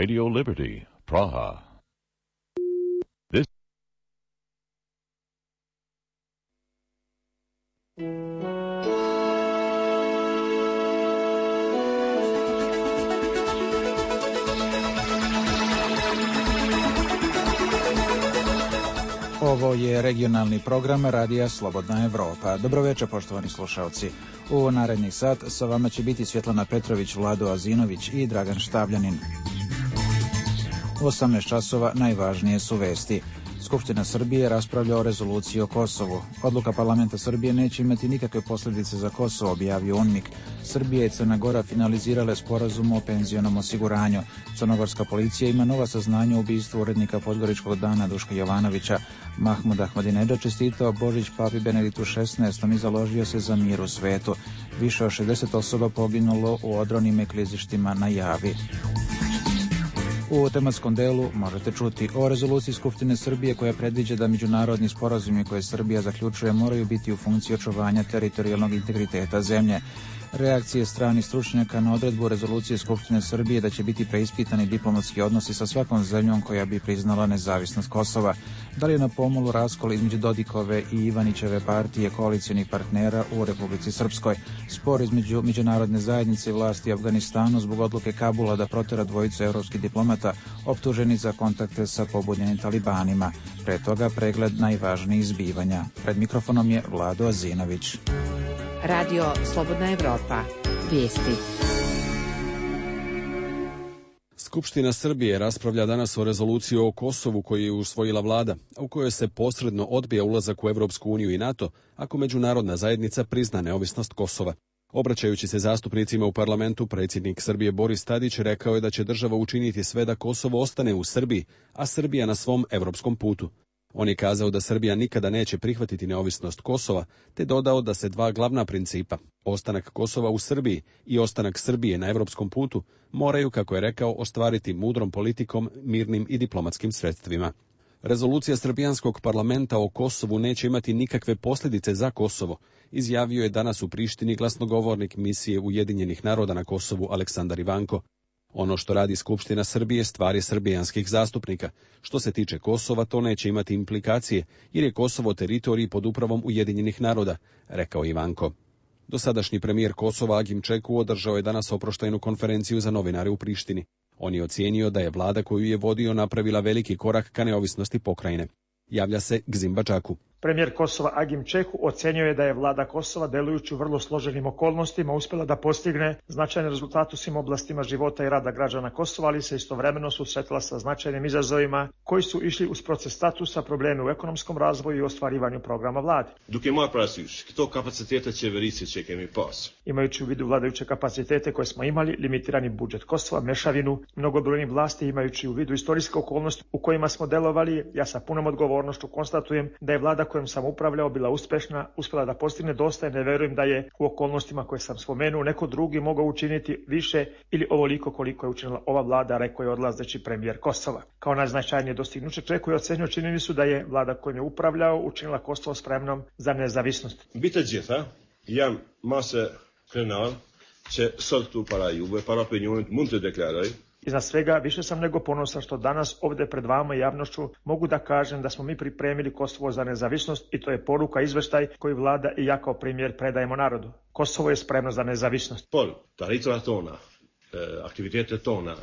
Radio Liberty, Praha. This Ovo je regionalni program Radija Slobodna Evropa. Dobroveče, poštovani slušalci. U narednih sat sa vama će biti Svjetlana Petrović, Vlado Azinović i Dragan Štavljanin. U 18 časova najvažnije su vesti. Skupština Srbije raspravlja o rezoluciji o Kosovu. Odluka parlamenta Srbije neće imati nikakve posljedice za Kosovo, objavio UNMIK. Srbija i Crna Gora finalizirale sporazum o penzionom osiguranju. Crnogorska policija ima nova saznanja o ubistvu urednika Podgoričkog dana Duška Jovanovića. Mahmud Ahmadinedžad čestitao Božić papi Benediktu XVI i založio se za mir u svetu. Više od 60 osoba poginulo u odronim i klizištima na Javi. U tematskom delu možete čuti o rezoluciji Skupštine Srbije koja predviđa da međunarodni sporazumi koje Srbija zaključuje moraju biti u funkciji očuvanja teritorijalnog integriteta zemlje. Reakcije stranih stručnjaka na odredbu rezolucije Skupštine Srbije da će biti preispitani diplomatski odnosi sa svakom zemljom koja bi priznala nezavisnost Kosova. Da li je na pomolu raskol između Dodikove i Ivanićeve partije koalicionih partnera u Republici Srpskoj? Spor između međunarodne zajednice i vlasti Afganistanu zbog odluke Kabula da protera dvojicu evropskih diplomata optuženi za kontakte sa pobunjenim talibanima. Pre toga pregled najvažnijih zbivanja. Pred mikrofonom je Vlado Azinović. Radio Slobodna Evropa. Vijesti. Skupština Srbije raspravlja danas o rezoluciji o Kosovu koju je usvojila vlada, u kojoj se posredno odbija ulazak u Evropsku uniju i NATO ako međunarodna zajednica prizna neovisnost Kosova. Obraćajući se zastupnicima u parlamentu, predsjednik Srbije Boris Tadić rekao je da će država učiniti sve da Kosovo ostane u Srbiji, a Srbija na svom evropskom putu. On je kazao da Srbija nikada neće prihvatiti neovisnost Kosova, te dodao da se dva glavna principa, ostanak Kosova u Srbiji i ostanak Srbije na evropskom putu, moraju, kako je rekao, ostvariti mudrom politikom, mirnim i diplomatskim sredstvima. Rezolucija srbijanskog parlamenta o Kosovu neće imati nikakve posljedice za Kosovo, izjavio je danas u Prištini glasnogovornik misije Ujedinjenih naroda na Kosovu Aleksandar Ivanko. Ono što radi Skupština Srbije stvar je srbijanskih zastupnika. Što se tiče Kosova, to neće imati implikacije, jer je Kosovo teritorij pod upravom Ujedinjenih naroda, rekao Ivanko. Dosadašnji premijer Kosova Agim Čeku održao je danas oproštajnu konferenciju za novinare u Prištini. On je ocijenio da je vlada koju je vodio napravila veliki korak ka neovisnosti pokrajine. Javlja se Gzim Bačaku. Premijer Kosova Agim Čeku ocenjuje da je vlada Kosova, delujući u vrlo složenim okolnostima, uspjela da postigne značajne rezultate u svim oblastima života i rada građana Kosova, ali se istovremeno susretila sa značajnim izazovima koji su išli uz proces statusa, probleme u ekonomskom razvoju i ostvarivanju programa vlade. Imajući u vidu vladajuće kapacitete koje smo imali, limitirani budžet Kosova, mešavinu mnogobrojnih vlasti, imajući u vidu istorijske okolnosti u kojima smo delovali, ja sa punom odgovornošću konstatujem da je vlada kojom sam upravljao bila uspešna, uspjela da postigne dosta i ne verujem da je u okolnostima koje sam spomenuo neko drugi mogao učiniti više ili ovoliko koliko je učinila ova vlada, rekao je odlazeći premijer Kosova. Kao najznačajnije dostignuće Čeku je ocenio činjenicu da je vlada kojom je upravljao učinila Kosovo spremnom za nezavisnost. Bitë gjitha, jam masë krenar që sot këtu para juve, para opinionit mund të deklaroj. Iznad svega, više sam nego ponosan što danas ovdje pred vama i javnošću mogu da kažem da smo mi pripremili Kosovo za nezavisnost i to je poruka, izveštaj koji vlada i ja kao premijer predajemo narodu. Kosovo je spremno za nezavisnost. Por, taritra tona, aktivitete tona,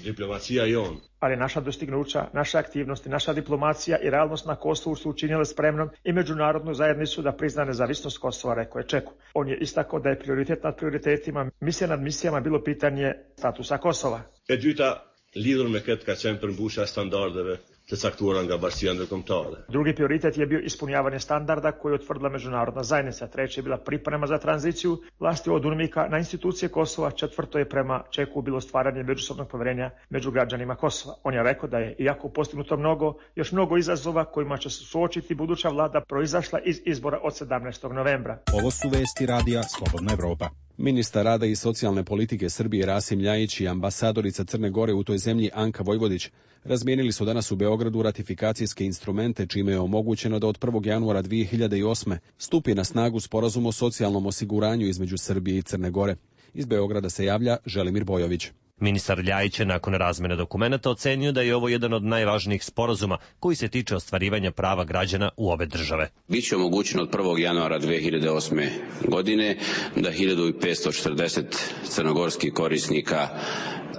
diplomacija i on. Ali naša dostignuća, naše aktivnosti, naša diplomacija i realnost na Kosovu su učinile spremnom i međunarodnu zajednicu da prizna nezavisnost Kosova, rekao je Čeku. On je istakao da je prioritet nad prioritetima, misija nad misijama bilo pitanje statusa Kosova. E dyta, lidhur me këtë ka qenë përmbushja standardeve të caktuara nga Bashkia Ndërkombëtare. Drugi prioritet je bio ispunjavanje standarda koje je utvrdila međunarodna zajednica. Treći je bila priprema za tranziciju vlasti od UNMIK-a na institucije Kosova. Četvrto je prema Čeku bilo stvaranje međusobnog povjerenja među građanima Kosova. On je rekao da je, iako postignuto još mnogo izazova kojima će se suočiti buduća vlada, proizašla iz izbora od 17. novembra. Ovo su vesti Radija Slobodna Evropa. Ministar rada i socijalne politike Srbije Rasim Ljajić i ambasadorica Crne Gore u toj zemlji Anka Vojvodić razmijenili su danas u Beogradu ratifikacijske instrumente, čime je omogućeno da od 1. januara 2008. stupi na snagu sporazum o socijalnom osiguranju između Srbije i Crne Gore. Iz Beograda se javlja Želimir Bojović. Ministar Ljajić je nakon razmene dokumenata ocenio da je ovo jedan od najvažnijih sporazuma koji se tiče ostvarivanja prava građana u obe države. Biće omogućeno od 1. januara 2008. godine da 1540 crnogorskih korisnika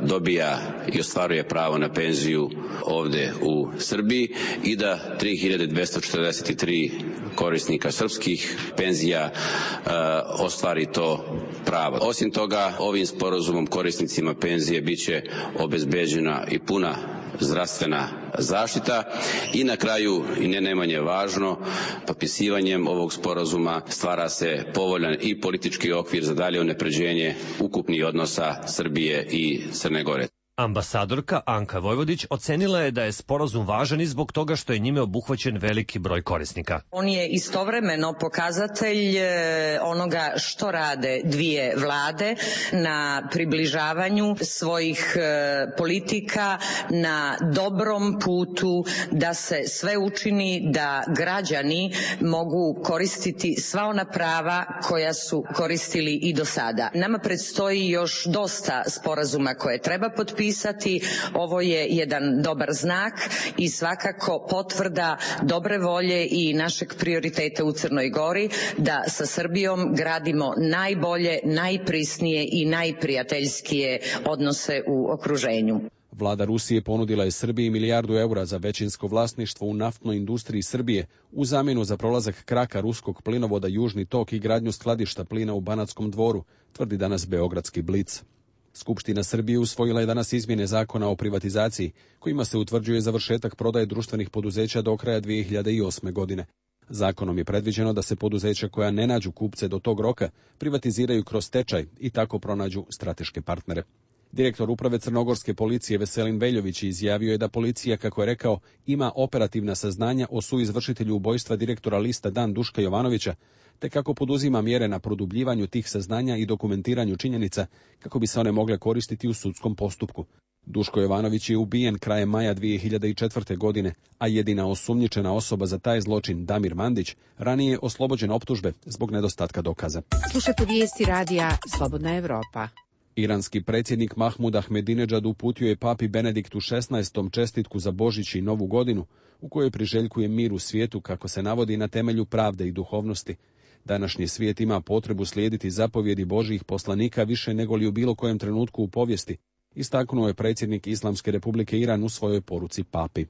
dobija i ostvaruje pravo na penziju ovde u Srbiji i da 3243 korisnika srpskih penzija ostvari to pravo. Osim toga, ovim sporazumom korisnicima penzije biće obezbeđena i puna zdravstvena zaštita i na kraju, i ne najmanje važno, potpisivanjem ovog sporazuma stvara se povoljan i politički okvir za dalje unapređenje ukupnih odnosa Srbije i Crne Gore. Ambasadorka Anka Vojvodić ocenila je da je sporazum važan i zbog toga što je njime obuhvaćen veliki broj korisnika. On je istovremeno pokazatelj onoga što rade dvije vlade na približavanju svojih politika na dobrom putu da se sve učini da građani mogu koristiti sva ona prava koja su koristili i do sada. Nama predstoji još dosta sporazuma koje treba potpisati. Ovo je jedan dobar znak i svakako potvrda dobre volje i našeg prioriteta u Crnoj Gori da sa Srbijom gradimo najbolje, najprisnije i najprijateljskije odnose u okruženju. Vlada Rusije ponudila je Srbiji €1 milijardu za većinsko vlasništvo u naftnoj industriji Srbije u zamjenu za prolazak kraka ruskog plinovoda Južni tok i gradnju skladišta plina u Banatskom Dvoru, tvrdi danas beogradski Blic. Skupština Srbije usvojila je danas izmjene zakona o privatizaciji, kojima se utvrđuje završetak prodaje društvenih poduzeća do kraja 2008. godine. Zakonom je predviđeno da se poduzeća koja ne nađu kupce do tog roka privatiziraju kroz stečaj i tako pronađu strateške partnere. Direktor uprave crnogorske policije Veselin Veljović izjavio je da policija, kako je rekao, ima operativna saznanja o suizvršitelju ubojstva direktora lista Dan Duška Jovanovića, te kako poduzima mjere na produbljivanju tih saznanja i dokumentiranju činjenica kako bi se one mogle koristiti u sudskom postupku. Duško Jovanović je ubijen krajem maja 2004. godine, a jedina osumnjičena osoba za taj zločin, Damir Mandić, ranije je oslobođen optužbe zbog nedostatka dokaza. Slušajte vijesti radija Slobodna Evropa. Iranski predsjednik Mahmud Ahmedinedžad uputio je papi Benediktu XVI. Čestitku za Božić i Novu godinu, u kojoj priželjkuje mir u svijetu, kako se navodi, na temelju pravde i duhovnosti. Današnji svijet ima potrebu slijediti zapovjedi Božjih poslanika više nego li u bilo kojem trenutku u povijesti, istaknuo je predsjednik Islamske republike Iran u svojoj poruci papi.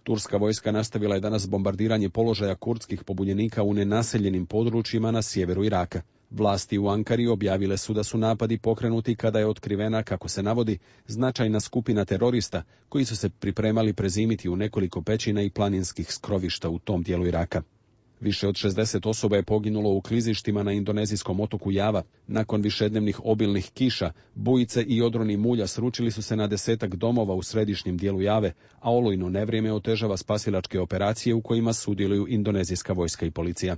Turska vojska nastavila je danas bombardiranje položaja kurdskih pobunjenika u nenaseljenim područjima na sjeveru Iraka. Vlasti u Ankari objavile su da su napadi pokrenuti kada je otkrivena, kako se navodi, značajna skupina terorista koji su se pripremali prezimiti u nekoliko pećina i planinskih skrovišta u tom dijelu Iraka. Više od 60 osoba je poginulo u klizištima na indonezijskom otoku Java. Nakon višednevnih obilnih kiša, bujice i odroni mulja sručili su se na 10-ak domova u središnjem dijelu Jave, a olujno nevrijeme otežava spasilačke operacije u kojima sudjeluju indonezijska vojska i policija.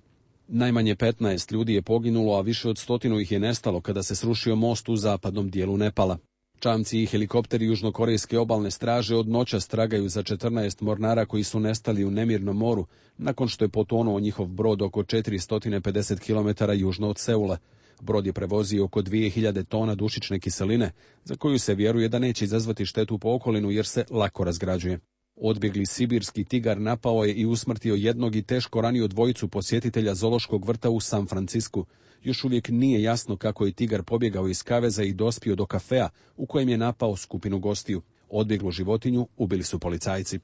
Najmanje 15 ljudi je poginulo, a više od 100 ih je nestalo kada se srušio most u zapadnom dijelu Nepala. Čamci i helikopteri južnokorejske obalne straže od noćas tragaju za 14 mornara koji su nestali u nemirnom moru, nakon što je potonuo njihov brod oko 450 km južno od Seula. Brod je prevozio oko 2000 tona dušične kiseline, za koju se vjeruje da neće izazvati štetu po okolinu jer se lako razgrađuje. Odbjegli sibirski tigar napao je i usmrtio jednog i teško ranio dvojicu posjetitelja zoološkog vrta u San Francisku. Još uvijek nije jasno kako je tigar pobjegao iz kaveza i dospio do kafea u kojem je napao skupinu gostiju. Odbjeglu životinju ubili su policajci.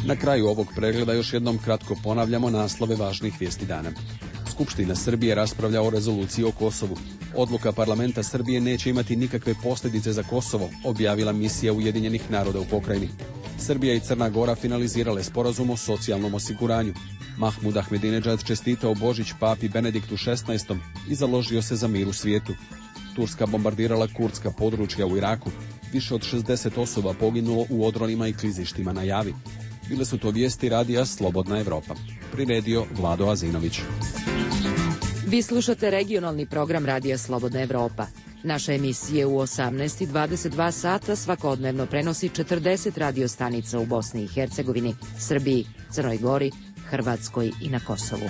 Na kraju ovog pregleda još jednom kratko ponavljamo naslove važnih vijesti dana. Skupština Srbije raspravlja o rezoluciji o Kosovu. Odluka parlamenta Srbije neće imati nikakve posljedice za Kosovo, objavila misija Ujedinjenih naroda u pokrajini. Srbija i Crna Gora finalizirale sporazum o socijalnom osiguranju. Mahmud Ahmedinedžad čestitao Božić papi Benediktu XVI. I založio se za mir u svijetu. Turska bombardirala kurdska područja u Iraku. Više od 60 osoba poginulo u odronima i klizištima na Javi. Bile su to vijesti radija Slobodna Evropa. Priredio Vlado Azinović. Vi slušate regionalni program radija Slobodna Evropa. Naša emisija u 18 i 22 sata svakodnevno prenosi 40 radiostanica u Bosni i Hercegovini, Srbiji, Crnoj Gori, Hrvatskoj i na Kosovu.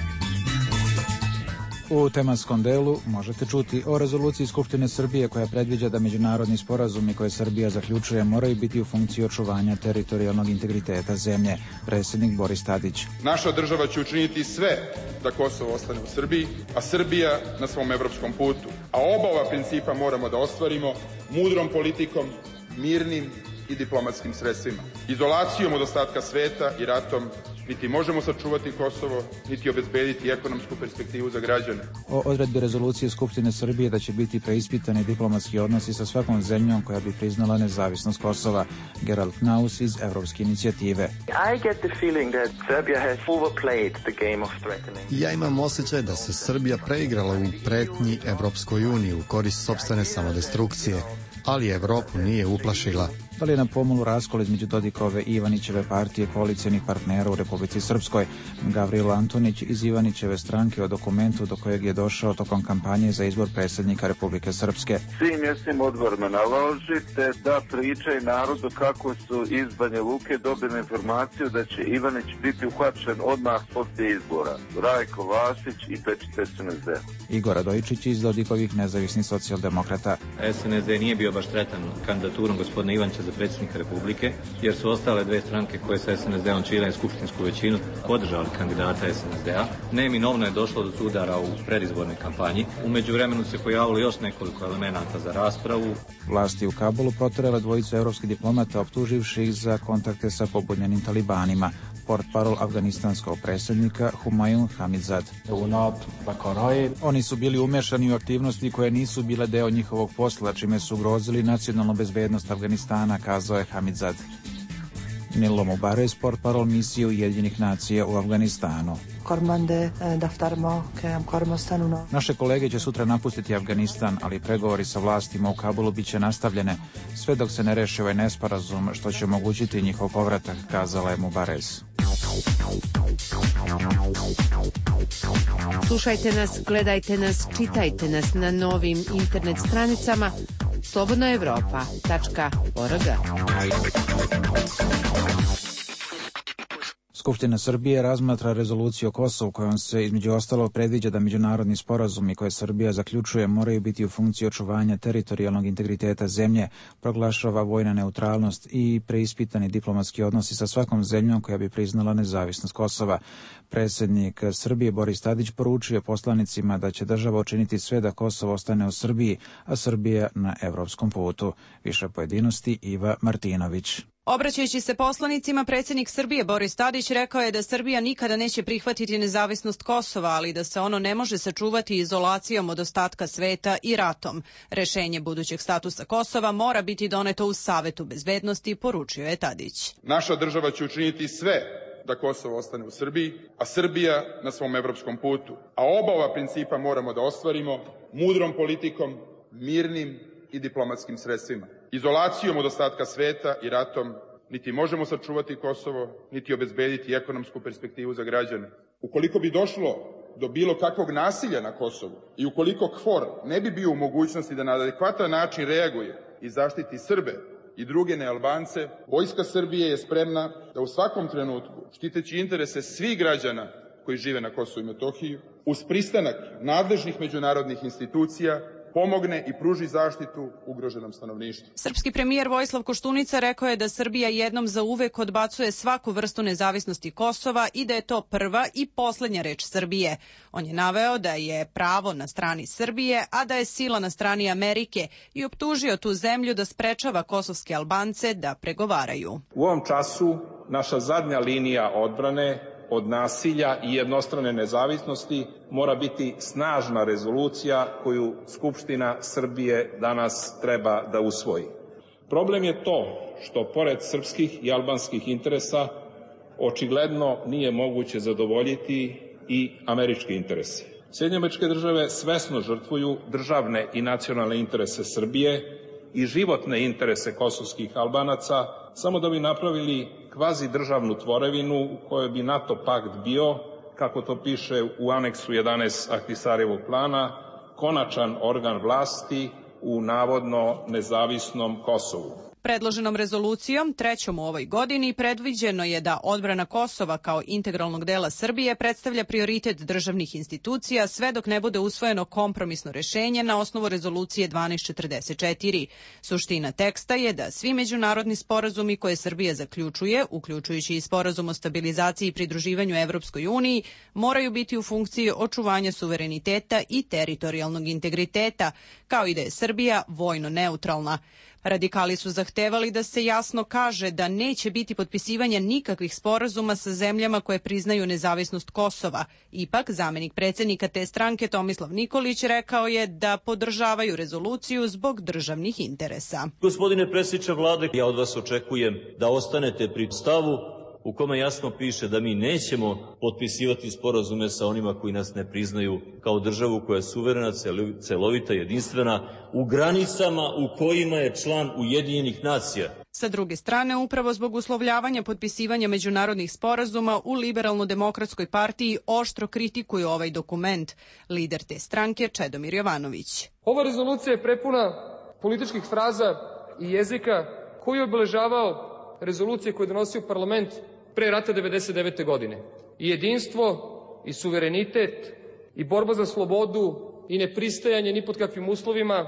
U tematskom delu možete čuti o rezoluciji Skupštine Srbije koja predviđa da međunarodni sporazumi koje Srbija zaključuje moraju biti u funkciji očuvanja teritorijalnog integriteta zemlje. Predsjednik Boris Tadić. Naša država će učiniti sve da Kosovo ostane u Srbiji, a Srbija na svom evropskom putu. A oba ova principa moramo da ostvarimo mudrom politikom, mirnim i diplomatskim sredstvima. Izolacijom od ostatka sveta i ratom niti možemo sačuvati Kosovo, niti obezbediti ekonomsku perspektivu za građane. O odredbi rezolucije Skupštine Srbije da će biti preispitani diplomatski odnosi sa svakom zemljom koja bi priznala nezavisnost Kosova. Gerald Knaus iz Evropske inicijative. Ja imam osjećaj da se Srbija preigrala u pretnji Evropskoj uniji u korist sopstvene samodestrukcije, ali Evropu nije uplašila. Da li je na pomolu raskol između Dodikove i Ivanićeve partije koalicijonih partnera u Republici Srpskoj? Gavrilo Antonić iz Ivanićeve stranke o dokumentu do kojeg je došao tokom kampanje za izbor predsjednika Republike Srpske. Svim mjesnim odborima naložite da pričaju narodu kako su iz Banja Luke dobili informaciju da će Ivanić biti uhvaćen odmah poslije izbora. Rajko Vasić i Pečice SNSD. Igor Radojičić iz Dodikovih nezavisnih socijaldemokrata. SNSD nije bio baš sretan kandidaturom gospodina Ivančića za predsjednika Republike, jer su ostale dve stranke koje sa SNSD-om čine skupštinsku većinu podržali kandidata SNSD-a. Neminovno je došlo do sudara u predizbornoj kampanji. U međuvremenu se pojavilo još nekoliko elemenata za raspravu. Vlasti u Kabulu proterale dvojicu evropskih diplomata optuživši ih za kontakte sa pobunjenim talibanima. Portparol afganistanskog predsjednika Humayun Hamizad. Oni su bili umešani u aktivnosti koje nisu bile deo njihovog posla, čime su ugrozili nacionalnu bezbednost Afganistana, kazao je Hamizad. Nilo Mubares, portparol misije Ujedinjenih nacija u Afganistanu. Naše kolege će sutra napustiti Afganistan, ali pregovori sa vlastima u Kabulu bit će nastavljene, sve dok se ne reši ovaj nesporazum, što će omogućiti njihov povratak, kazala je Mubares. Slušajte nas, gledajte nas, čitajte nas na novim internet stranicama slobodnaevropa.org. Skupština Srbije razmatra rezoluciju o Kosovu kojom se između ostalog predviđa da međunarodni sporazumi koje Srbija zaključuje moraju biti u funkciji očuvanja teritorijalnog integriteta zemlje, proglašava vojna neutralnost i preispitani diplomatski odnosi sa svakom zemljom koja bi priznala nezavisnost Kosova. Predsjednik Srbije Boris Tadić poručio poslanicima da će država učiniti sve da Kosovo ostane u Srbiji, a Srbija na evropskom putu. Više pojedinosti Iva Martinović. Obraćajući se poslanicima, predsjednik Srbije Boris Tadić rekao je da Srbija nikada neće prihvatiti nezavisnost Kosova, ali da se ono ne može sačuvati izolacijom od ostatka sveta i ratom. Rešenje budućeg statusa Kosova mora biti doneto u Savetu bezbednosti, poručio je Tadić. Naša država će učiniti sve da Kosovo ostane u Srbiji, a Srbija na svom evropskom putu. A oba ova principa moramo da ostvarimo mudrom politikom, mirnim i diplomatskim sredstvima. Izolacijom od ostatka sveta i ratom niti možemo sačuvati Kosovo, niti obezbediti ekonomsku perspektivu za građane. Ukoliko bi došlo do bilo kakvog nasilja na Kosovu i ukoliko KFOR ne bi bio u mogućnosti da na adekvatan način reaguje i zaštiti Srbe i druge nealbance, Vojska Srbije je spremna da u svakom trenutku, štiteći interese svih građana koji žive na Kosovu i Metohiji, uz pristanak nadležnih međunarodnih institucija, pomogne i pruži zaštitu ugroženom stanovništvu. Srpski premijer Vojislav Koštunica rekao je da Srbija jednom zauvek odbacuje svaku vrstu nezavisnosti Kosova i da je to prva i poslednja reč Srbije. On je naveo da je pravo na strani Srbije, a da je sila na strani Amerike i optužio tu zemlju da sprečava kosovske Albance da pregovaraju. U ovom času naša zadnja linija odbrane od nasilja i jednostrane nezavisnosti mora biti snažna rezolucija koju Skupština Srbije danas treba da usvoji. Problem je to što pored srpskih i albanskih interesa očigledno nije moguće zadovoljiti i američke interese. Sjedinjene Američke Države svesno žrtvuju državne i nacionalne interese Srbije i životne interese kosovskih Albanaca samo da bi napravili kvazi državnu tvorevinu u kojoj bi NATO pakt bio, kako to piše u aneksu 11 Ahtisarjevog plana, konačan organ vlasti u navodno nezavisnom Kosovu. Predloženom rezolucijom, trećom u ovoj godini, predviđeno je da odbrana Kosova kao integralnog dela Srbije predstavlja prioritet državnih institucija sve dok ne bude usvojeno kompromisno rešenje na osnovu rezolucije 1244. Suština teksta je da svi međunarodni sporazumi koje Srbija zaključuje, uključujući i sporazum o stabilizaciji i pridruživanju Evropskoj uniji, moraju biti u funkciji očuvanja suvereniteta i teritorijalnog integriteta, kao i da je Srbija vojno neutralna. Radikali su zahtevali da se jasno kaže da neće biti potpisivanja nikakvih sporazuma sa zemljama koje priznaju nezavisnost Kosova. Ipak, zamenik predsjednika te stranke Tomislav Nikolić rekao je da podržavaju rezoluciju zbog državnih interesa. Gospodine predsjedniče vlade, ja od vas očekujem da ostanete pri stavu u kome jasno piše da mi nećemo potpisivati sporazume sa onima koji nas ne priznaju kao državu koja je suverena, celovita, jedinstvena, u granicama u kojima je član Ujedinjenih nacija. Sa druge strane, upravo zbog uslovljavanja potpisivanja međunarodnih sporazuma u Liberalno-demokratskoj partiji oštro kritikuju ovaj dokument. Lider te stranke Čedomir Jovanović. Ova rezolucija je prepuna političkih fraza i jezika koji je obeležavao rezolucije koje je donosio parlament pre rata 1999. godine. I jedinstvo, i suverenitet, i borba za slobodu, i nepristajanje ni pod kakvim uslovima,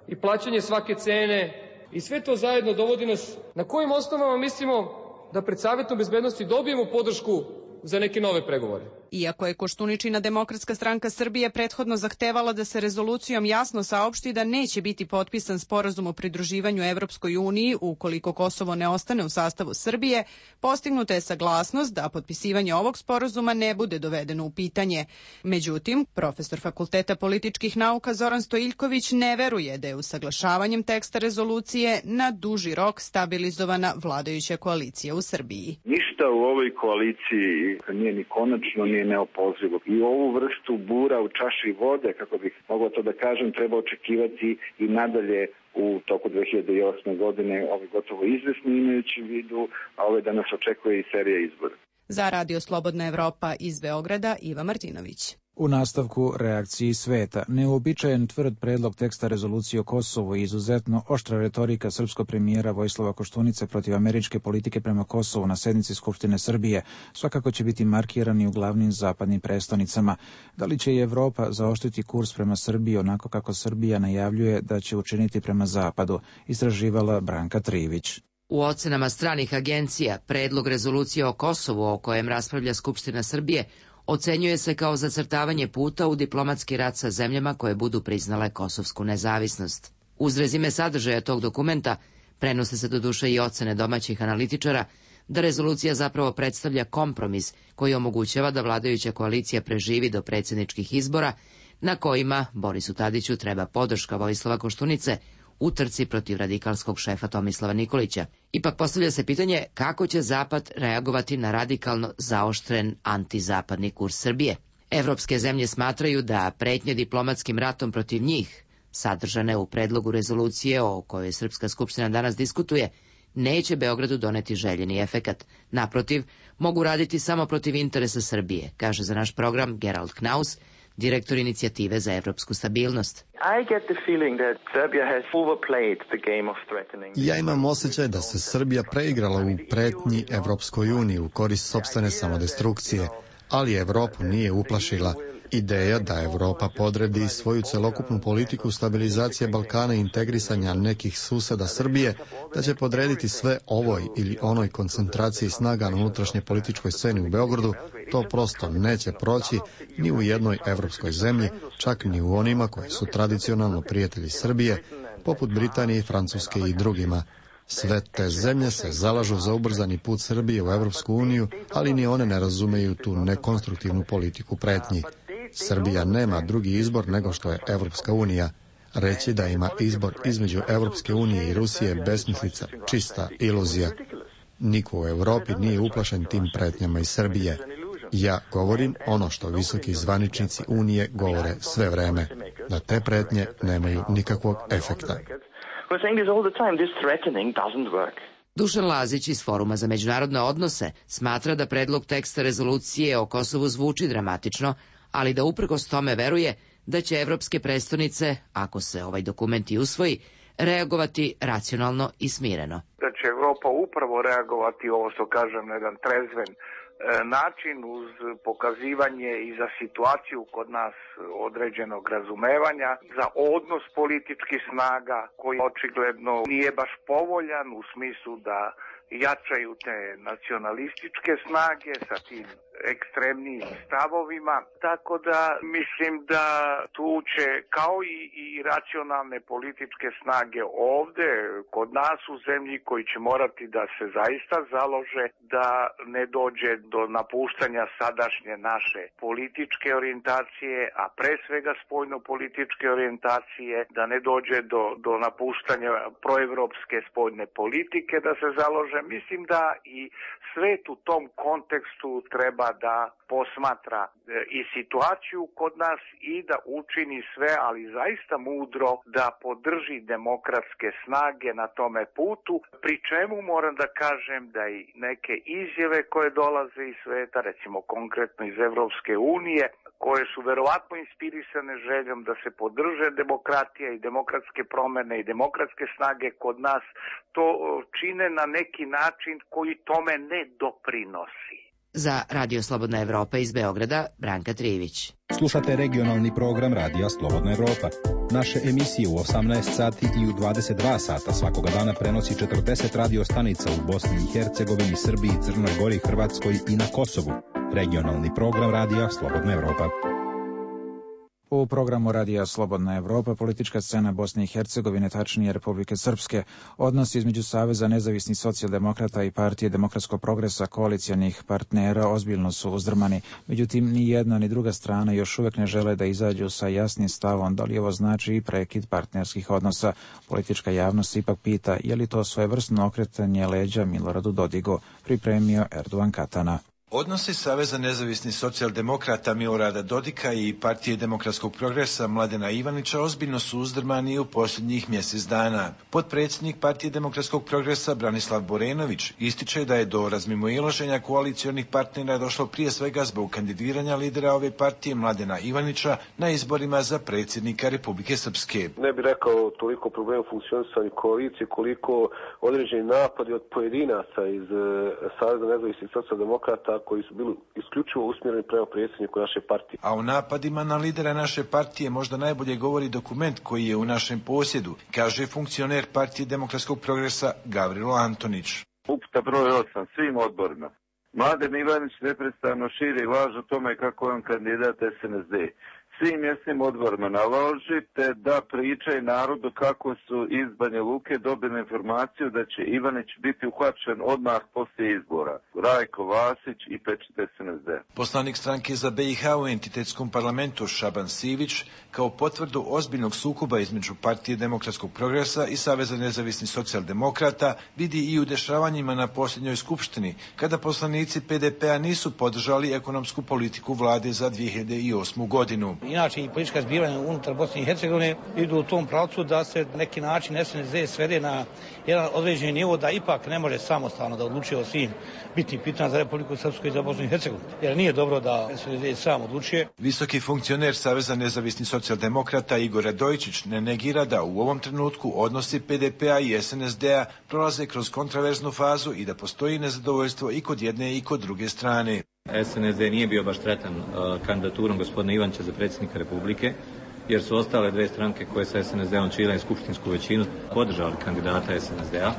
i plaćanje svake cene, i sve to zajedno dovodi nas na kojim osnovama mislimo da pred Savjetom bezbednosti dobijemo podršku za neke nove pregovore. Iako je Koštuničina Demokratska stranka Srbije prethodno zahtevala da se rezolucijom jasno saopšti da neće biti potpisan sporazum o pridruživanju Evropskoj uniji ukoliko Kosovo ne ostane u sastavu Srbije, postignuta je saglasnost da potpisivanje ovog sporazuma ne bude dovedeno u pitanje. Međutim, profesor Fakulteta političkih nauka Zoran Stojiljković ne veruje da je usaglašavanjem teksta rezolucije na duži rok stabilizovana vladajuća koalicija u Srbiji. Ništa u ovoj koaliciji nije ni konačno, ni neopozivo. I ovu vrstu bura u čaši vode, kako bih mogao to da kažem, treba očekivati i nadalje u toku 2008. godine, gotovo izvesni imajući u vidu, a da nas očekuje i serija izbora. Za Radio Slobodna Evropa iz Beograda, Iva Martinović. U nastavku reakciji sveta, neuobičajen tvrd predlog teksta rezolucije o Kosovu i izuzetno oštra retorika srpskog premijera Vojislava Koštunice protiv američke politike prema Kosovu na sednici Skupštine Srbije svakako će biti markirani u glavnim zapadnim prestonicama. Da li će i Evropa zaoštriti kurs prema Srbiji onako kako Srbija najavljuje da će učiniti prema Zapadu, istraživala Branka Trivić. U ocenama stranih agencija, predlog rezolucije o Kosovu o kojem raspravlja Skupština Srbije ocenjuje se kao zacrtavanje puta u diplomatski rat sa zemljama koje budu priznale kosovsku nezavisnost. Uz rezime sadržaja tog dokumenta prenose se doduše i ocene domaćih analitičara da rezolucija zapravo predstavlja kompromis koji omogućava da vladajuća koalicija preživi do predsjedničkih izbora na kojima Borisu Tadiću treba podrška Vojislava Koštunice u trci protiv radikalskog šefa Tomislava Nikolića. Ipak postavlja se pitanje kako će Zapad reagovati na radikalno zaoštren antizapadni kurs Srbije. Evropske zemlje smatraju da pretnje diplomatskim ratom protiv njih, sadržane u predlogu rezolucije o kojoj Srpska skupština danas diskutuje, neće Beogradu doneti željeni efekat. Naprotiv, mogu raditi samo protiv interesa Srbije, kaže za naš program Gerald Knaus, direktor inicijative za evropsku stabilnost. Ja imam osjećaj da se Srbija preigrala u pretnji Evropskoj uniji u korist sopstvene samodestrukcije, ali Evropu nije uplašila. Ideja da Evropa podredi svoju celokupnu politiku stabilizacije Balkana i integrisanja nekih suseda Srbije, da će podrediti sve ovoj ili onoj koncentraciji snaga na unutrašnje političkoj sceni u Beogradu, to prosto neće proći ni u jednoj evropskoj zemlji, čak ni u onima koje su tradicionalno prijatelji Srbije, poput Britanije, Francuske i drugima. Sve te zemlje se zalažu za ubrzani put Srbije u Evropsku uniju, ali ni one ne razumeju tu nekonstruktivnu politiku pretnji. Srbija nema drugi izbor nego što je Evropska unija. Reći da ima izbor između Evropske unije i Rusije besmislica, čista iluzija. Niko u Evropi nije uplašen tim pretnjama iz Srbije. Ja govorim ono što visoki zvaničnici Unije govore sve vreme, da te pretnje nemaju nikakvog efekta. Dušan Lazić iz Foruma za međunarodne odnose smatra da predlog teksta rezolucije o Kosovu zvuči dramatično, ali da uprkos tome veruje da će evropske prestonice, ako se ovaj dokument i usvoji, reagovati racionalno i smireno. Da će Evropa upravo reagovati, ovo što kažem, na jedan trezven način uz pokazivanje i za situaciju kod nas određenog razumevanja, za odnos političkih snaga koji očigledno nije baš povoljan u smislu da jačaju te nacionalističke snage sa tim ekstremnim stavovima, tako da mislim da tu će kao i racionalne političke snage ovde kod nas u zemlji koji će morati da se zaista založe da ne dođe do napuštanja sadašnje naše političke orijentacije, a pre svega spoljno-političke orijentacije, da ne dođe do napuštanja proevropske spoljne politike, da se založe. Mislim da i svet u tom kontekstu treba da posmatra i situaciju kod nas i da učini sve, ali zaista mudro, da podrži demokratske snage na tome putu, pri čemu moram da kažem da i neke izjave koje dolaze iz sveta, recimo konkretno iz Evropske unije, koje su verovatno inspirisane željom da se podrže demokratija i demokratske promene i demokratske snage kod nas, to čine na neki način koji tome ne doprinosi. Za Radio Slobodna Evropa iz Beograda, Branka Trivić. Slušate regionalni program Radija Slobodna Evropa. Naše emisije u 18 sati i u 22 sata svakoga dana prenosi 40 radio stanica u Bosni i Hercegovini, Srbiji, Crnoj Gori, Hrvatskoj i na Kosovu. Regionalni program Radija Slobodna Evropa. U programu Radija Slobodna Evropa politička scena Bosne i Hercegovine, tačnije Republike Srpske, odnosi između Saveza nezavisnih socijaldemokrata i Partije demokratskog progresa koalicijanih partnera ozbiljno su uzdrmani. Međutim, ni jedna ni druga strana još uvek ne žele da izađu sa jasnim stavom da li ovo znači i prekid partnerskih odnosa. Politička javnost se ipak pita je li to svojevrsno okretanje leđa Miloradu Dodigu, pripremio Erdogan Katana. Odnosi Saveza nezavisnih socijaldemokrata Milorada Dodika i Partije demokratskog progresa Mladena Ivanića ozbiljno su uzdrmani u posljednjih mjesec dana. Potpredsjednik Partije demokratskog progresa Branislav Borenović ističe da je do razmimoilaženja koalicijonih partnera došlo prije svega zbog kandidiranja lidera ove partije Mladena Ivanića na izborima za predsjednika Republike Srpske. Ne bih rekao toliko problema u funkcionisanju koalicije koliko određeni napadi od pojedinaca iz Saveza nezavisnih socijaldemokrata koji su bili isključivo usmjereni prema predsjedniku naše partije. A o napadima na lidera naše partije možda najbolje govori dokument koji je u našem posjedu, kaže funkcioner Partije demokratskog progresa Gavrilo Antonić. Uputa broj 8 svim odborima. Mladen Ivanić neprestano širi laž o tome kako je on kandidat SNSD. Svim mjesnim odborima naložite da pričaju narodu kako su iz Banja Luke dobili informaciju da će Ivanić biti uhvaćen odmah poslije izbora. Rajko Vasić i pečat SNSD. Poslanik stranke za BiH u entitetskom parlamentu Šaban Sivić kao potvrdu ozbiljnog sukoba između Partije demokratskog progresa i Saveza nezavisnih socijaldemokrata vidi i u dešavanjima na posljednjoj skupštini, kada poslanici PDP-a nisu podržali ekonomsku politiku vlade za 2008. godinu. Inače i politička zbivanja unutar Bosne i Hercegovine idu u tom pravcu da se neki način SNSD svede na jedan određeni nivo da ipak ne može samostalno da odlučuje o svim bitnim pitanjima za Republiku Srpsku i za Bosnu i Hercegovinu. Jer nije dobro da SNSD sam odlučuje. Visoki funkcioner Saveza nezavisnih socijaldemokrata Igor Radojičić ne negira da u ovom trenutku odnosi PDP-a i SNSD-a prolaze kroz kontraverznu fazu i da postoji nezadovoljstvo i kod jedne i kod druge strane. SNSD nije bio baš sretan kandidaturom gospodina Ivančića za predsjednika Republike, jer su ostale dve stranke koje sa SNSD-om čine skupštinsku većinu podržali kandidata SNSD-a.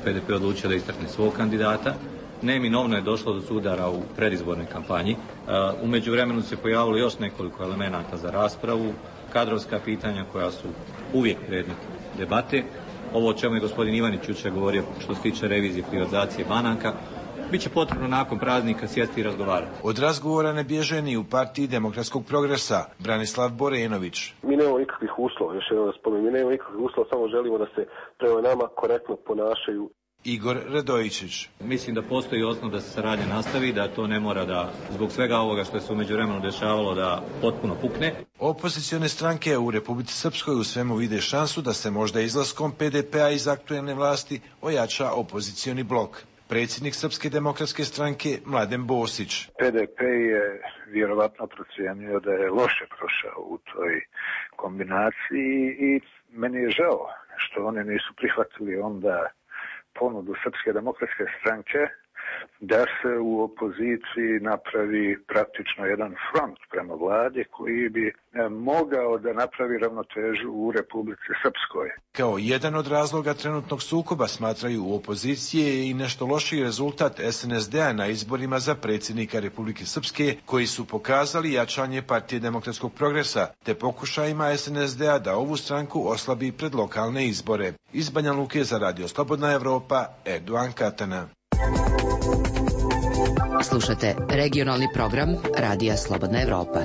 PDP odlučio da istakne svog kandidata. Neminovno je došlo do sudara u predizbornoj kampanji. U međuvremenu se pojavilo još nekoliko elemenata za raspravu, kadrovska pitanja koja su uvijek predmet debate. Ovo o čemu je gospodin Ivanić jučer govorio što se tiče revizije privatizacije banaka, biće potrebno nakon praznika sjesti i razgovarati. Od razgovora ne bježe ni u Partiji demokratskog progresa Branislav Borenović. Mi nemamo nikakvih uslova, još jednom da spomenem, mi nemamo nikakvih uslova, samo želimo da se prema nama korektno ponašaju. Igor Radojičić. Mislim da postoji osnov da se saradnja nastavi, da to ne mora da, zbog svega ovoga što se u međuvremenu dešavalo, da potpuno pukne. Opozicione stranke u Republici Srpskoj u svemu vide šansu da se možda izlaskom PDP-a iz aktuelne vlasti ojača opozicioni blok. Predsjednik Srpske demokratske stranke Mladen Bosić. PDP je vjerovatno procijenio da je loše prošao u toj kombinaciji i meni je žao što oni nisu prihvatili onda ponudu Srpske demokratske stranke da se u opoziciji napravi praktično jedan front prema vladi koji bi mogao da napravi ravnotežu u Republici Srpskoj. Kao jedan od razloga trenutnog sukoba smatraju u opozicije i nešto lošiji rezultat SNSD-a na izborima za predsjednika Republike Srpske, koji su pokazali jačanje Partije demokratskog progresa, te pokušajima SNSD-a da ovu stranku oslabi pred lokalne izbore. Iz Banja Luke za Radio Slobodna Evropa, Erdogan Katana. Slušate regionalni program Radija Slobodna Evropa.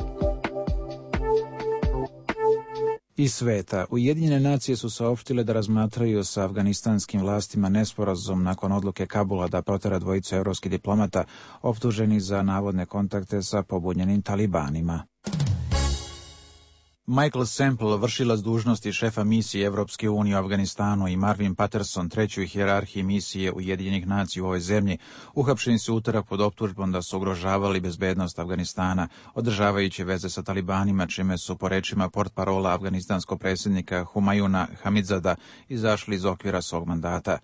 Iz sveta, Ujedinjene nacije su saopštile da razmatraju sa afganistanskim vlastima nesporazum nakon odluke Kabula da protera dvojicu evropskih diplomata optuženih za navodne kontakte sa pobunjenim talibanima. Michael Semple, vršilac dužnosti šefa misije Evropske unije u Afganistanu, i Marvin Patterson, treći u hijerarhiji misije Ujedinjenih nacija u ovoj zemlji, uhapšeni su utorak pod optužbom da su ugrožavali bezbednost Afganistana, održavajući veze sa talibanima, čime su, po rečima portparola afganistanskog predsjednika Humayuna Hamidzada, izašli iz okvira svog mandata.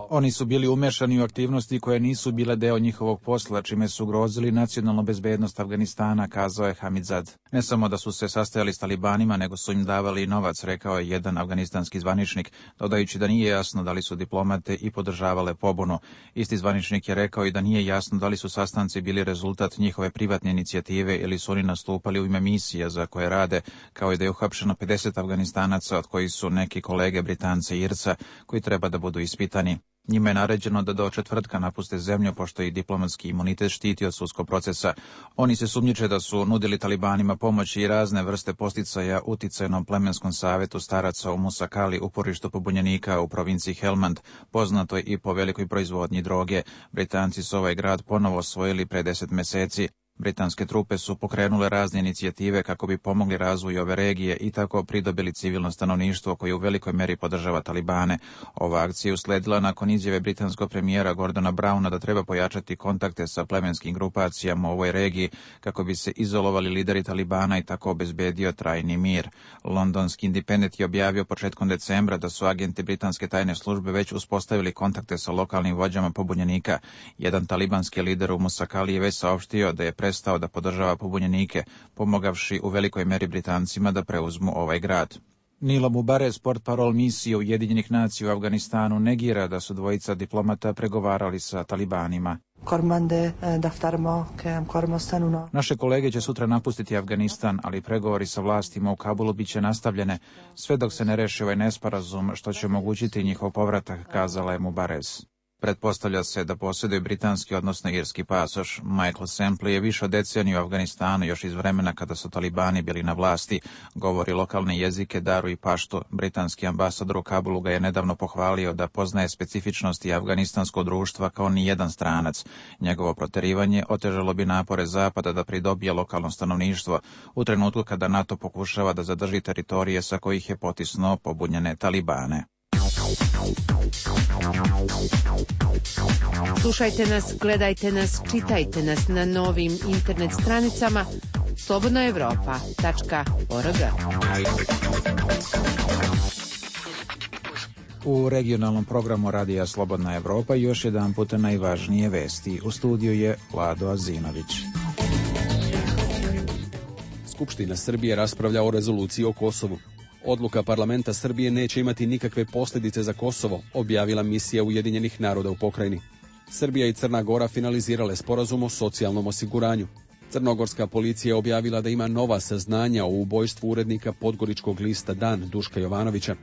Oni su bili umešani u aktivnosti koje nisu bile deo njihovog posla, čime su ugrozili nacionalnu bezbednost Afganistana, kazao je Hamidzad. Ne samo da su se sastajali s talibanima, nego su im davali i novac, rekao je jedan afganistanski zvaničnik, dodajući da nije jasno da li su diplomate i podržavale pobunu. Isti zvaničnik je rekao i da nije jasno da li su sastanci bili rezultat njihove privatne inicijative ili su oni nastupali u ime misija za koje rade, kao i da je uhapšeno 50 Afganistanaca, od kojih su neki kolege Britance i Irca, koji treba da budu ispitani. Njima je naređeno da do četvrtka napuste zemlju, pošto ih diplomatski imunitet štiti od sudskog procesa. Oni se sumnjiče da su nudili talibanima pomoć i razne vrste posticaja uticajnom plemenskom savetu staraca u Musakali, uporištu pobunjenika u provinciji Helmand, poznatoj i po velikoj proizvodnji droge. Britanci su ovaj grad ponovo osvojili pre 10 meseci. Britanske trupe su pokrenule razne inicijative kako bi pomogli razvoju ove regije i tako pridobili civilno stanovništvo koje u velikoj meri podržava talibane. Ova akcija je usledila nakon izjave britanskog premijera Gordona Browna da treba pojačati kontakte sa plemenskim grupacijama u ovoj regiji kako bi se izolovali lideri talibana i tako obezbedio trajni mir. Londonski Independent je objavio početkom decembra da su agenti britanske tajne službe već uspostavili kontakte sa lokalnim vođama pobunjenika. Jedan talibanski lider u Musakali je već saopštio da je prestao da podržava pobunjenike, pomogavši u velikoj meri Britancima da preuzmu ovaj grad. Nilo Mubarez, portparol misije Ujedinjenih nacija u Afganistanu, negira da su dvojica diplomata pregovarali sa talibanima. Naše kolege će sutra napustiti Afganistan, ali pregovori sa vlastima u Kabulu biće nastavljene sve dok se ne reši ovaj nesporazum, što će omogućiti njihov povratak, kazala je Mubarez. Pretpostavlja se da posjeduje britanski, odnosno irski pasoš. Michael Semple je više od deceniju u Afganistanu, još iz vremena kada su talibani bili na vlasti. Govori lokalne jezike, daru i paštu. Britanski ambasador u Kabulu ga je nedavno pohvalio da poznaje specifičnosti afganistanskog društva kao ni jedan stranac. Njegovo proterivanje otežalo bi napore Zapada da pridobije lokalno stanovništvo u trenutku kada NATO pokušava da zadrži teritorije sa kojih je potisnuo pobunjene talibane. Slušajte nas, gledajte nas, čitajte nas na novim internet stranicama slobodnaevropa.org. U regionalnom programu Radija Slobodna Evropa još jedan puta najvažnije vesti. U studiju je Vlado Azinović. Skupština Srbije raspravlja o rezoluciji o Kosovu. Odluka parlamenta Srbije neće imati nikakve posljedice za Kosovo, objavila misija Ujedinjenih naroda u pokrajini. Srbija i Crna Gora finalizirale sporazum o socijalnom osiguranju. Crnogorska policija je objavila da ima nova saznanja o ubojstvu urednika podgoričkog lista Dan Duška Jovanovića.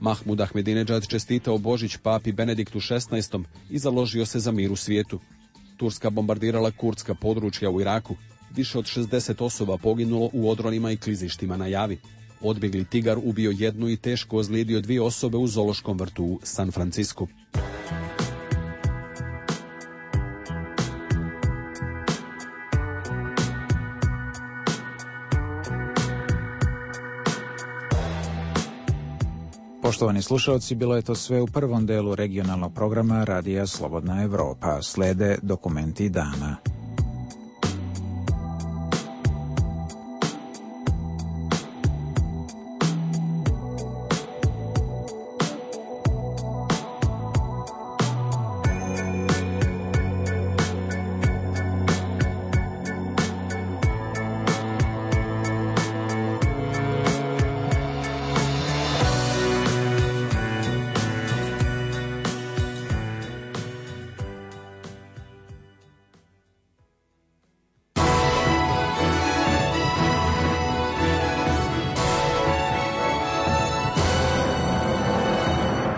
Mahmud Ahmedinedžad čestitao Božić papi Benediktu XVI i založio se za mir u svijetu. Turska bombardirala kurdska područja u Iraku. Više od 60 osoba poginulo u odronima i klizištima na Javi. Odbjegli tigar ubio jednu i teško ozlijedio 2 osobe u zoološkom vrtu u San Francisku. Poštovani slušalci, bilo je to sve u prvom delu regionalnog programa Radija Slobodna Evropa. Slede dokumenti dana.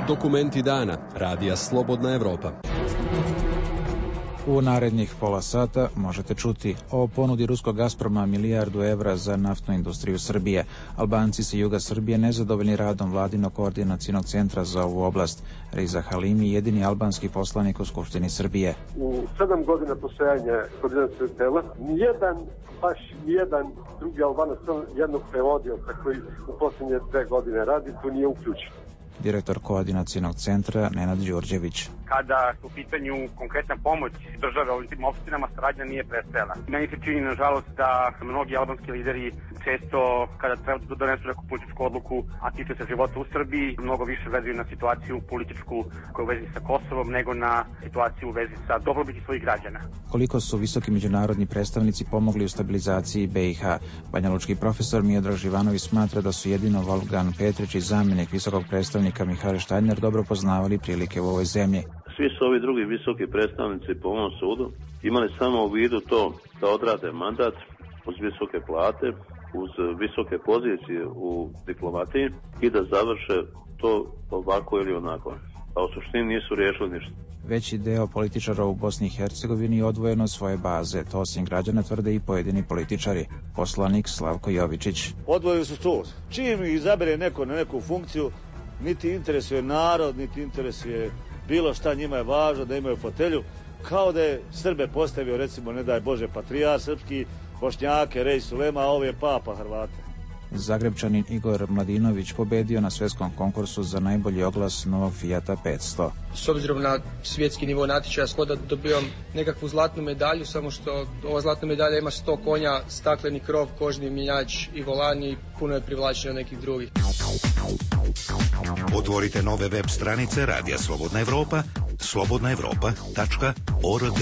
Dokumenti dana. Radija Slobodna Evropa. U narednih pola sata možete čuti o ponudi ruskog Gazproma milijardu evra za naftnu industriju Srbije. Albanci sa juga Srbije nezadovoljni radom vladinog koordinacionog centra za ovu oblast. Riza Halimi, jedini albanski poslanik u Skupštini Srbije. U 7 godina postojanja koordinacionog tela, nijedan drugi Albanac, jednog prevodioca koji u posljednje 2 godine radi, tu nije uključen. Direktor koordinacionog centra Nenad Đurđević. Kada u pitanju konkretna pomoć države ovim tim opštinama, saradnja nije prestajala. Meni se čini, nažalost, da mnogi albanski lideri često, kada treba da donesu neku političku odluku, a tiče se života u Srbiji, mnogo više vezuju na situaciju političku koja je u vezi sa Kosovom, nego na situaciju u vezi sa dobrobiti svojih građana. Koliko su visoki međunarodni predstavnici pomogli u stabilizaciji BiH? Banjalučki profesor Miodrag Živanović smatra da su jedino Wolfgang Petrić i zamjenik visokog predstavnika Mihael Štajner dobro poznavali prilike u ovoj zemlji. Svi su ovi drugi visoki predstavnici po ovom sudu imali samo u vidu to da odrade mandat uz visoke plate, uz visoke pozicije u diplomatiji i da završe to ovako ili onako. A u suštini nisu riješili ništa. Veći deo političara u Bosni i Hercegovini odvojeno od svoje baze. To osim građana tvrde i pojedini političari. Poslanik Slavko Jovičić. Odvojili su to. Čim ih izabere neko na neku funkciju, niti interesuje narod, niti interesuje bilo šta, njima je važno da imaju fotelju, kao da je Srbe postavio, recimo, ne daj Bože, patrijar srpski, Bošnjake, Rej Sulema, a ovo je papa Hrvata. Zagrebčanin Igor Mladinović pobedio na svetskom konkursu za najbolji oglas novog Fijata 500. S obzirom na svjetski nivo natječaja, skoda dobijam nekakvu zlatnu medalju, samo što ova zlatna medalja ima 100 konja, stakleni krov, kožni mjenjač i volan i puno je privlačeno nekih drugih. Otvorite nove web stranice Radija Slobodna Evropa, slobodnaevropa.org.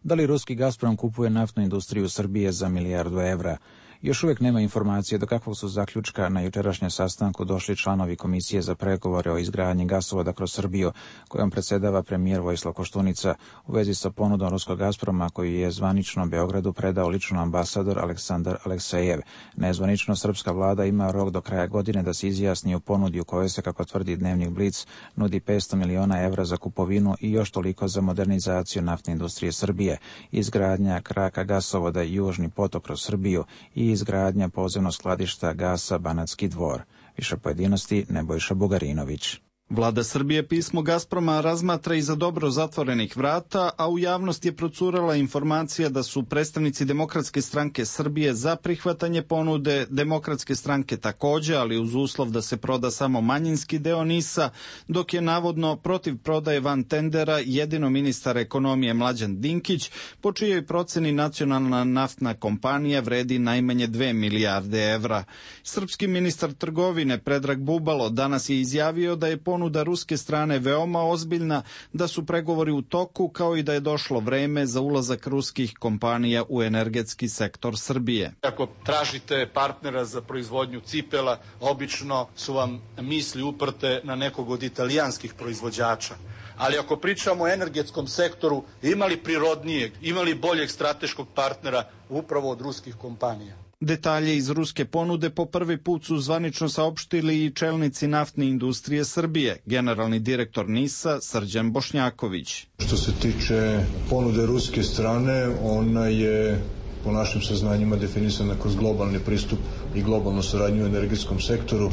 Da li ruski Gazprom kupuje naftnu industriju Srbije za milijardu evra? Još uvijek nema informacije do kakvog su zaključka na jučerašnjem sastanku došli članovi Komisije za pregovore o izgradnji gasovoda kroz Srbiju, kojom predsjedava premijer Vojislav Koštunica, u vezi sa ponudom ruskog Gazproma koju je zvanično Beogradu predao lično ambasador Aleksandar Aleksejev. Nezvanično srpska vlada ima rok do kraja godine da se izjasni o ponudi u kojoj se, kako tvrdi Dnevnik Blic, nudi 500 miliona evra za kupovinu i još toliko za modernizaciju naftne industrije Srbije, izgradnja kraka gasovoda Južni potok kroz Srbiju i izgradnja podzemnog skladišta gasa Banatski Dvor. Više pojedinosti Nebojša Bugarinović. Vlada Srbije pismo Gazproma razmatra iza dobro zatvorenih vrata, a u javnost je procurala informacija da su predstavnici Demokratske stranke Srbije za prihvatanje ponude, Demokratske stranke takođe, ali uz uslov da se proda samo manjinski deo NIS-a, dok je navodno protiv prodaje van tendera jedino ministar ekonomije Mlađan Dinkić, po čijoj proceni nacionalna naftna kompanija vredi najmanje 2 milijarde evra. Srpski ministar trgovine Predrag Bubalo danas je izjavio da je ponuda ruske strane veoma ozbiljna, da su pregovori u toku, kao i da je došlo vreme za ulazak ruskih kompanija u energetski sektor Srbije. Ako tražite partnera za proizvodnju cipela, obično su vam misli uprte na nekog od italijanskih proizvođača. Ali ako pričamo o energetskom sektoru, imali prirodnijeg, imali boljeg strateškog partnera upravo od ruskih kompanija. Detalje iz ruske ponude po prvi put su zvanično saopštili i čelnici naftne industrije Srbije, generalni direktor NIS-a Srđan Bošnjaković. Što se tiče ponude ruske strane, ona je po našim saznanjima definisana kroz globalni pristup i globalnu saradnju u energetskom sektoru.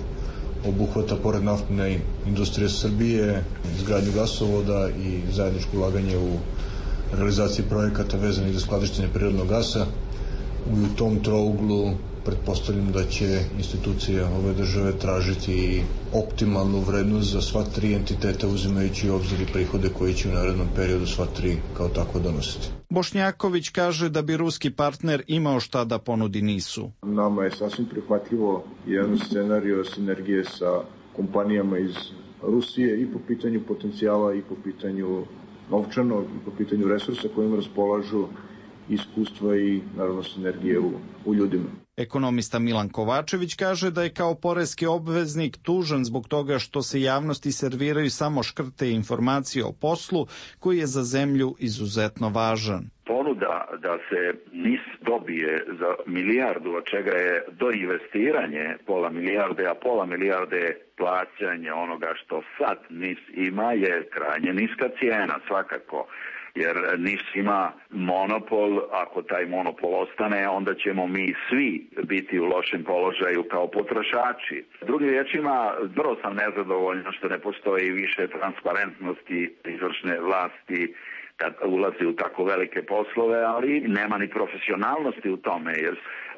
Obuhvata pored naftne industrije Srbije, izgradnju gasovoda i zajedničko ulaganje u realizaciji projekata vezanih za skladištenje prirodnog gasa. U tom trouglu pretpostavljam da će institucije ove države tražiti optimalnu vrednost za sva tri entiteta, uzimajući u obzir i prihode koji će u narednom periodu sva tri kao tako donositi. Bošnjaković kaže da bi ruski partner imao šta da ponudi NIS-u. Nama je sasvim prihvatljivo jedan scenario sinergije sa kompanijama iz Rusije i po pitanju potencijala i po pitanju novčanog i po pitanju resursa kojima raspolažu, iskustva i naravno sinergije u ljudima. Ekonomista Milan Kovačević kaže da je kao poreski obveznik tužan zbog toga što se javnosti serviraju samo škrte informacije o poslu koji je za zemlju izuzetno važan. Ponuda da se NIS dobije za milijardu, od čega je doinvestiranje pola milijarde, a pola milijarde plaćanje onoga što sad NIS ima, je krajnje niska cijena svakako. Jer NIS ima monopol, ako taj monopol ostane, onda ćemo mi svi biti u lošem položaju kao potrošači. Drugim riječima, vrlo sam nezadovoljno što ne postoji više transparentnosti izvršne vlasti kad ulazi u tako velike poslove, ali nema ni profesionalnosti u tome, jer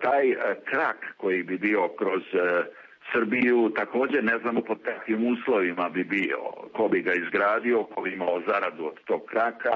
taj krak koji bi bio kroz Srbiju također ne znamo pod kakvim uslovima bi bio, ko bi ga izgradio, ko bi imao zaradu od tog kraka.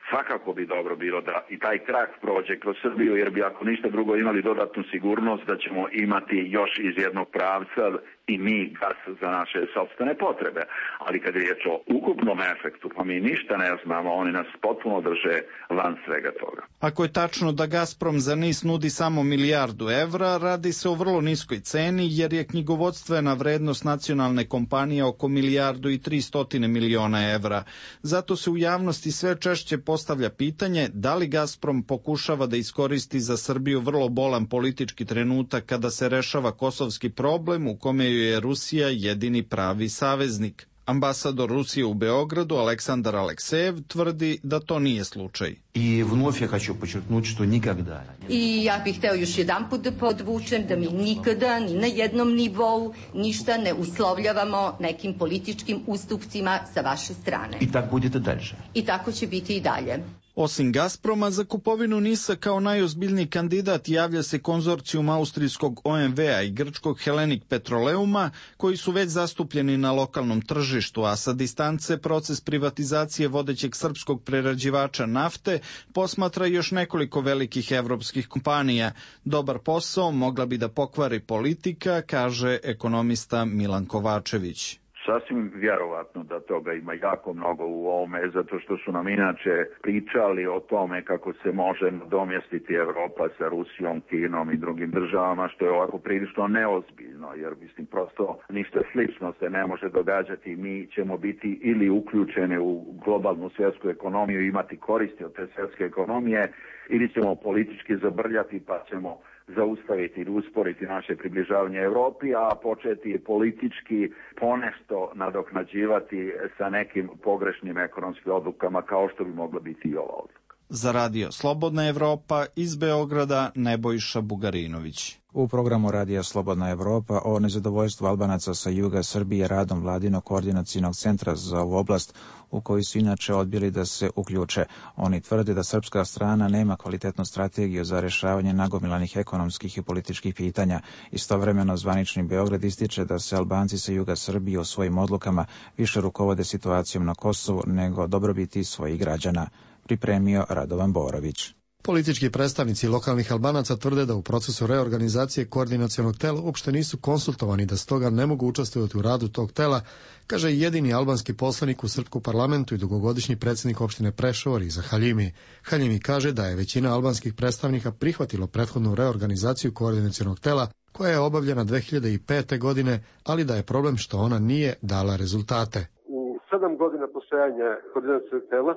Svakako bi dobro bilo da i taj krak prođe kroz Srbiju, jer bi ako ništa drugo imali dodatnu sigurnost da ćemo imati još iz jednog pravca i mi gas za naše sopstvene potrebe. Ali kad je riječ o ukupnom efektu, pa mi ništa ne znamo, oni nas potpuno drže van svega toga. Ako je tačno da Gazprom za NIS nudi samo milijardu evra, radi se o vrlo niskoj ceni jer je knjigovodstvena vrednost nacionalne kompanije oko milijardu i 300 miliona evra. Zato se u javnosti sve češće postavlja pitanje da li Gazprom pokušava da iskoristi za Srbiju vrlo bolan politički trenutak kada se rešava kosovski problem u kome je Rusija jedini pravi saveznik. Ambasador Rusije u Beogradu Aleksandar Aleksejev tvrdi da to nije slučaj. I вновь я хочу подчеркнуть, что никогда. I ja bih hteo još jedanput da podvučem da mi nikada ni na jednom nivou ništa ne uslovljavamo nekim političkim ustupcima sa vaše strane. I tak будет и дальше. I tako će biti i dalje. Osim Gazproma, za kupovinu NIS-a kao najozbiljniji kandidat javlja se konzorcijum austrijskog OMV-a i grčkog Hellenic Petroleuma, koji su već zastupljeni na lokalnom tržištu, a sa distance proces privatizacije vodećeg srpskog prerađivača nafte posmatra još nekoliko velikih evropskih kompanija. Dobar posao mogla bi da pokvari politika, kaže ekonomista Milan Kovačević. Sasvim vjerovatno da toga ima jako mnogo u ovome, zato što su nam inače pričali o tome kako se može nadomjestiti Evropa sa Rusijom, Kinom i drugim državama, što je ovako prilično neozbiljno, jer mislim prosto ništa slično se ne može događati. Mi ćemo biti ili uključeni u globalnu svjetsku ekonomiju i imati koristi od te svjetske ekonomije, ili ćemo politički zabrljati pa ćemo zaustaviti ili usporiti naše približavanje Evropi, a početi politički ponešto nadoknađivati sa nekim pogrešnim ekonomskim odlukama kao što bi mogla biti i ova odluka. Za Radio Slobodna Evropa iz Beograda Nebojša Bugarinović. U programu Radija Slobodna Evropa o nezadovoljstvu Albanaca sa juga Srbije radom Vladinog koordinacionog centra za ovu oblast, u koji su inače odbili da se uključe. Oni tvrde da srpska strana nema kvalitetnu strategiju za rešavanje nagomilanih ekonomskih i političkih pitanja. Istovremeno zvanični Beograd ističe da se Albanci sa juga Srbije u svojim odlukama više rukovode situacijom na Kosovu nego dobrobiti svojih građana. Pripremio Radovan Borović. Politički predstavnici lokalnih Albanaca tvrde da u procesu reorganizacije koordinacionog tela uopšte nisu konsultovani, da stoga ne mogu učestvovati u radu tog tela, kaže i jedini albanski poslanik u srpskom parlamentu i dugogodišnji predsjednik opštine Preševo Riza Haljimi. Haljimi kaže da je većina albanskih predstavnika prihvatilo prethodnu reorganizaciju koordinacionog tela koja je obavljena 2005. godine, ali da je problem što ona nije dala rezultate. U 7 godina postojanja koordinacionog tela,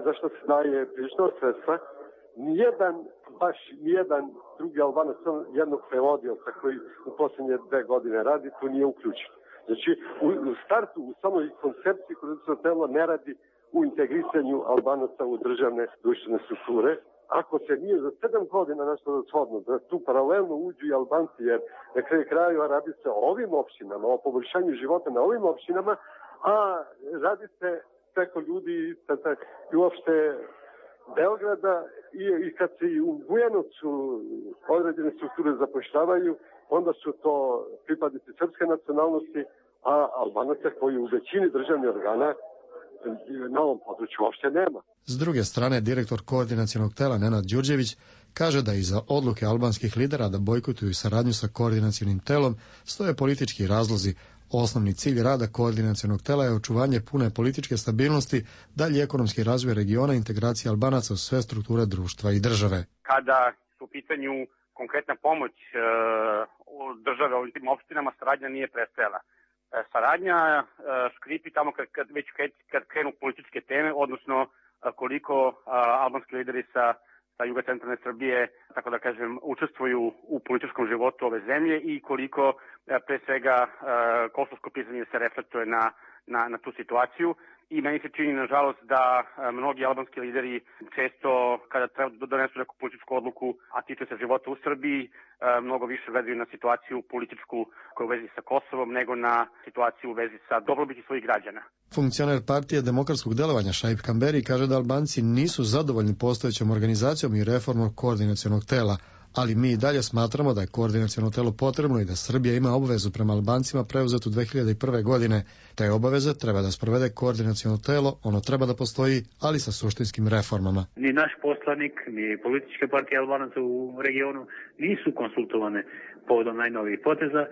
za što se daje prilično sredstva, nijedan drugi Albanac, jednog prevodioca koji u posljednje 2 godine radi, tu nije uključen. Znači, u startu, u samoj koncepciji koordinacionog tela ne radi u integrisanju Albanaca u državne društvene strukture. Ako se nije za 7 godina nešto shodno, da tu paralelno uđu i Albanci, jer na kraju krajeva radi se o ovim opštinama, o poboljšanju života na ovim opštinama, a radi se preko ljudi i uopšte Beograda i kad se i u Bujanovcu određene strukture zapošljavaju, onda su to pripadnici srpske nacionalnosti, a Albanaca koji u većini državnih organa na ovom području uopšte nema. S druge strane, direktor koordinacionog tela Nenad Đurđević kaže da iza odluke albanskih lidera da bojkotuju saradnju sa koordinacionim telom stoje politički razlozi. Osnovni cilj rada koordinacionog tela je očuvanje pune političke stabilnosti, dalji ekonomski razvoj regiona i integracija Albanaca u sve strukture društva i države. Kada su u pitanju konkretna pomoć države ovim tim opštinama, saradnja nije prestajala. Saradnja škripi tamo kad krenu političke teme, odnosno koliko albanski lideri sa jugocentralne Srbije, tako da kažem, učestvuju u političkom životu ove zemlje i koliko pre svega kosovsko pitanje se reflektuje na tu situaciju. I meni se čini, nažalost, da mnogi albanski lideri često, kada treba da donesu neku političku odluku, a tiče se života u Srbiji, mnogo više gledaju na situaciju političku koja je u vezi sa Kosovom, nego na situaciju u vezi sa dobrobiti svojih građana. Funkcioner partije demokratskog delovanja Šaip Kamberi kaže da Albanci nisu zadovoljni postojećom organizacijom i reformom koordinacionog tela, ali mi i dalje smatramo da je koordinaciono telo potrebno i da Srbija ima obavezu prema Albancima preuzetu 2001. godine. Te obaveze treba da sprovede koordinaciono telo, ono treba da postoji, ali sa suštinskim reformama. Ni naš poslanik, ni političke partije Albanaca u regionu nisu konsultovane povodom najnovijih poteza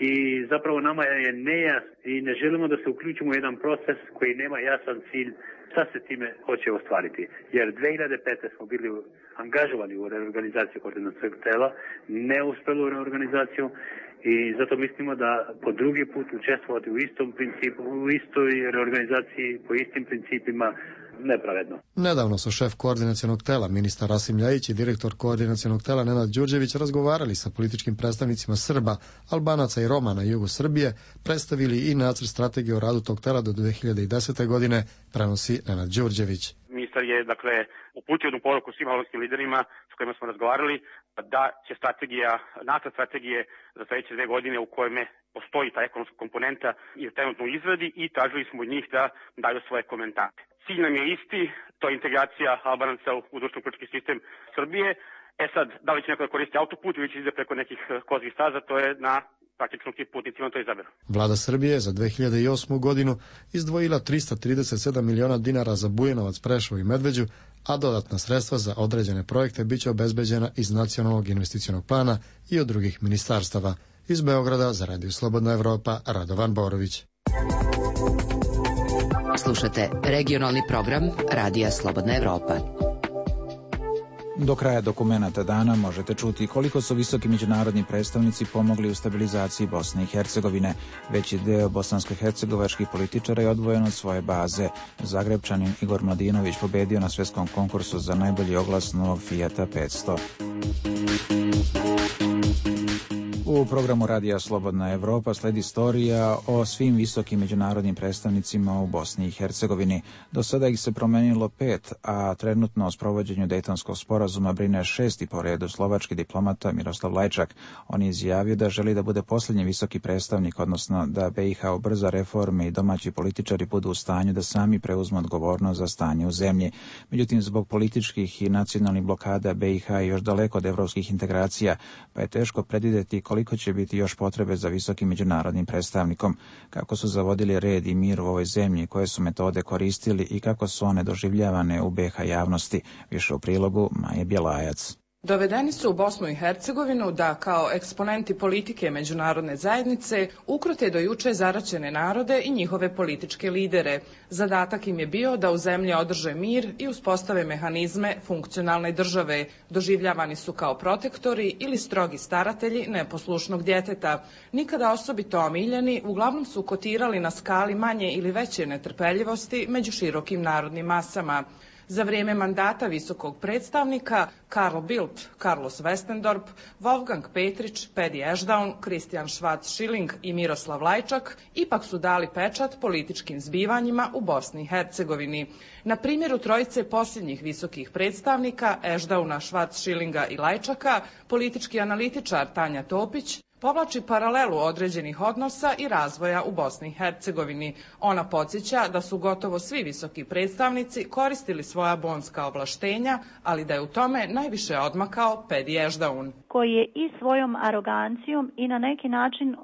i zapravo nama je nejasno i ne želimo da se uključimo u jedan proces koji nema jasan cilj šta se time hoće ostvariti. Jer 2005. smo bili angažovani u reorganizaciju koordinacionog tela, neuspelu reorganizaciju i zato mislimo da po drugi put učestvovati u istom principu, u istoj reorganizaciji, po istim principima, nepravedno. Nedavno su šef koordinacionog tela, ministar Rasim Ljajić i direktor koordinacionog tela Nenad Đurđević razgovarali sa političkim predstavnicima Srba, Albanaca i Roma na jugu Srbije, predstavili i nacrt strategije o radu tog tela do 2010. godine, prenosi Nenad Đurđević. Ministar je, uputio jednu poruku svim albanskim liderima s kojima smo razgovarali da će nacrt strategije za sledeće 2 godine u kojome postoji ta ekonomska komponenta i trenutno u izradi i tražili smo od njih da daju svoje komentare. Cilj nam je isti, to je integracija Albanaca u društveno politički sistem Srbije. Sad, da li će neko da koristi autoput ili će ide preko nekih kozih staza, to je na praktično ti putnicima to izaberu. Vlada Srbije za 2008. godinu izdvojila 337 miliona dinara za Bujanovac, Preševo i Medveđu, a dodatna sredstva za određene projekte biće obezbeđena iz Nacionalnog investicionog plana i od drugih ministarstava. Iz Beograda za Radio Slobodna Evropa, Radovan Borović. Slušate regionalni program Radija Slobodna Evropa. Do kraja dokumenata dana možete čuti koliko su visoki međunarodni predstavnici pomogli u stabilizaciji Bosne i Hercegovine. Veći deo bosansko-hercegovačkih političara je odvojen od svoje baze. Zagrebčanin Igor Mladinović pobedio na svetskom konkursu za najbolji oglas novog Fijata 500. U programu Radija Slobodna Evropa sledi istorija o svim visokim međunarodnim predstavnicima u Bosni i Hercegovini. Do sada ih se promenilo 5, a trenutno o sprovođenju Dejtonskog sporazuma brine 6. po redu slovački diplomata Miroslav Lajčak. On je izjavio da želi da bude posljednji visoki predstavnik, odnosno da BiH ubrza reforme i domaći političari budu u stanju da sami preuzmu odgovornost za stanje u zemlji. Međutim, zbog političkih i nacionalnih blokada BiH je još daleko od evropskih integracija, pa je teško predvideti koliko će biti još potrebe za visokim međunarodnim predstavnikom, kako su zavodili red i mir u ovoj zemlji, koje su metode koristili i kako su one doživljavane u BiH javnosti. Više u prilogu Maje Bjelajac. Dovedeni su u Bosnu i Hercegovinu da kao eksponenti politike međunarodne zajednice ukrute do juče zaraćene narode i njihove političke lidere. Zadatak im je bio da u zemlji održe mir i uspostave mehanizme funkcionalne države. Doživljavani su kao protektori ili strogi staratelji neposlušnog djeteta. Nikada osobito omiljeni, uglavnom su kotirali na skali manje ili veće netrpeljivosti među širokim narodnim masama. Za vrijeme mandata visokog predstavnika Carl Bildt, Carlos Westendorp, Wolfgang Petrić, Pedi Ešdaun, Kristijan Schwarz-Schilling i Miroslav Lajčak ipak su dali pečat političkim zbivanjima u Bosni i Hercegovini. Na primjeru trojice posljednjih visokih predstavnika Ešdauna, Schwarz-Schillinga i Lajčaka, politički analitičar Tanja Topić povlači paralelu određenih odnosa i razvoja u Bosni i Hercegovini. Ona podsjeća da su gotovo svi visoki predstavnici koristili svoja bonska ovlaštenja, ali da je u tome najviše odmakao Pedi Ešdaun, koji je i svojom arogancijom i na neki način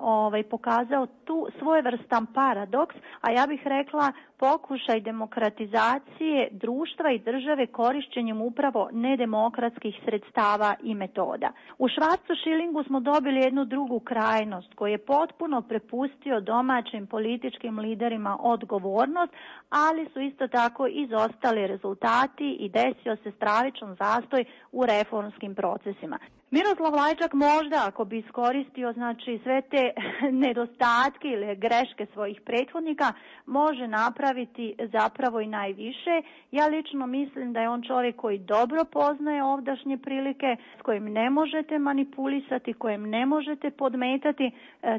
pokazao tu svojevrstan paradoks, a ja bih rekla pokušaj demokratizacije društva i države korišćenjem upravo nedemokratskih sredstava i metoda. U Schwarz-Schillingu smo dobili jednu drugu krajnost koji je potpuno prepustio domaćim političkim liderima odgovornost, ali su isto tako izostali rezultati i desio se stravičan zastoj u reformskim procesima. Miroslav Lajčak možda, ako bi iskoristio znači sve te nedostatke ili greške svojih prethodnika, može napraviti zapravo i najviše. Ja lično mislim da je on čovjek koji dobro poznaje ovdašnje prilike, s kojim ne možete manipulisati, kojem ne možete podmetati,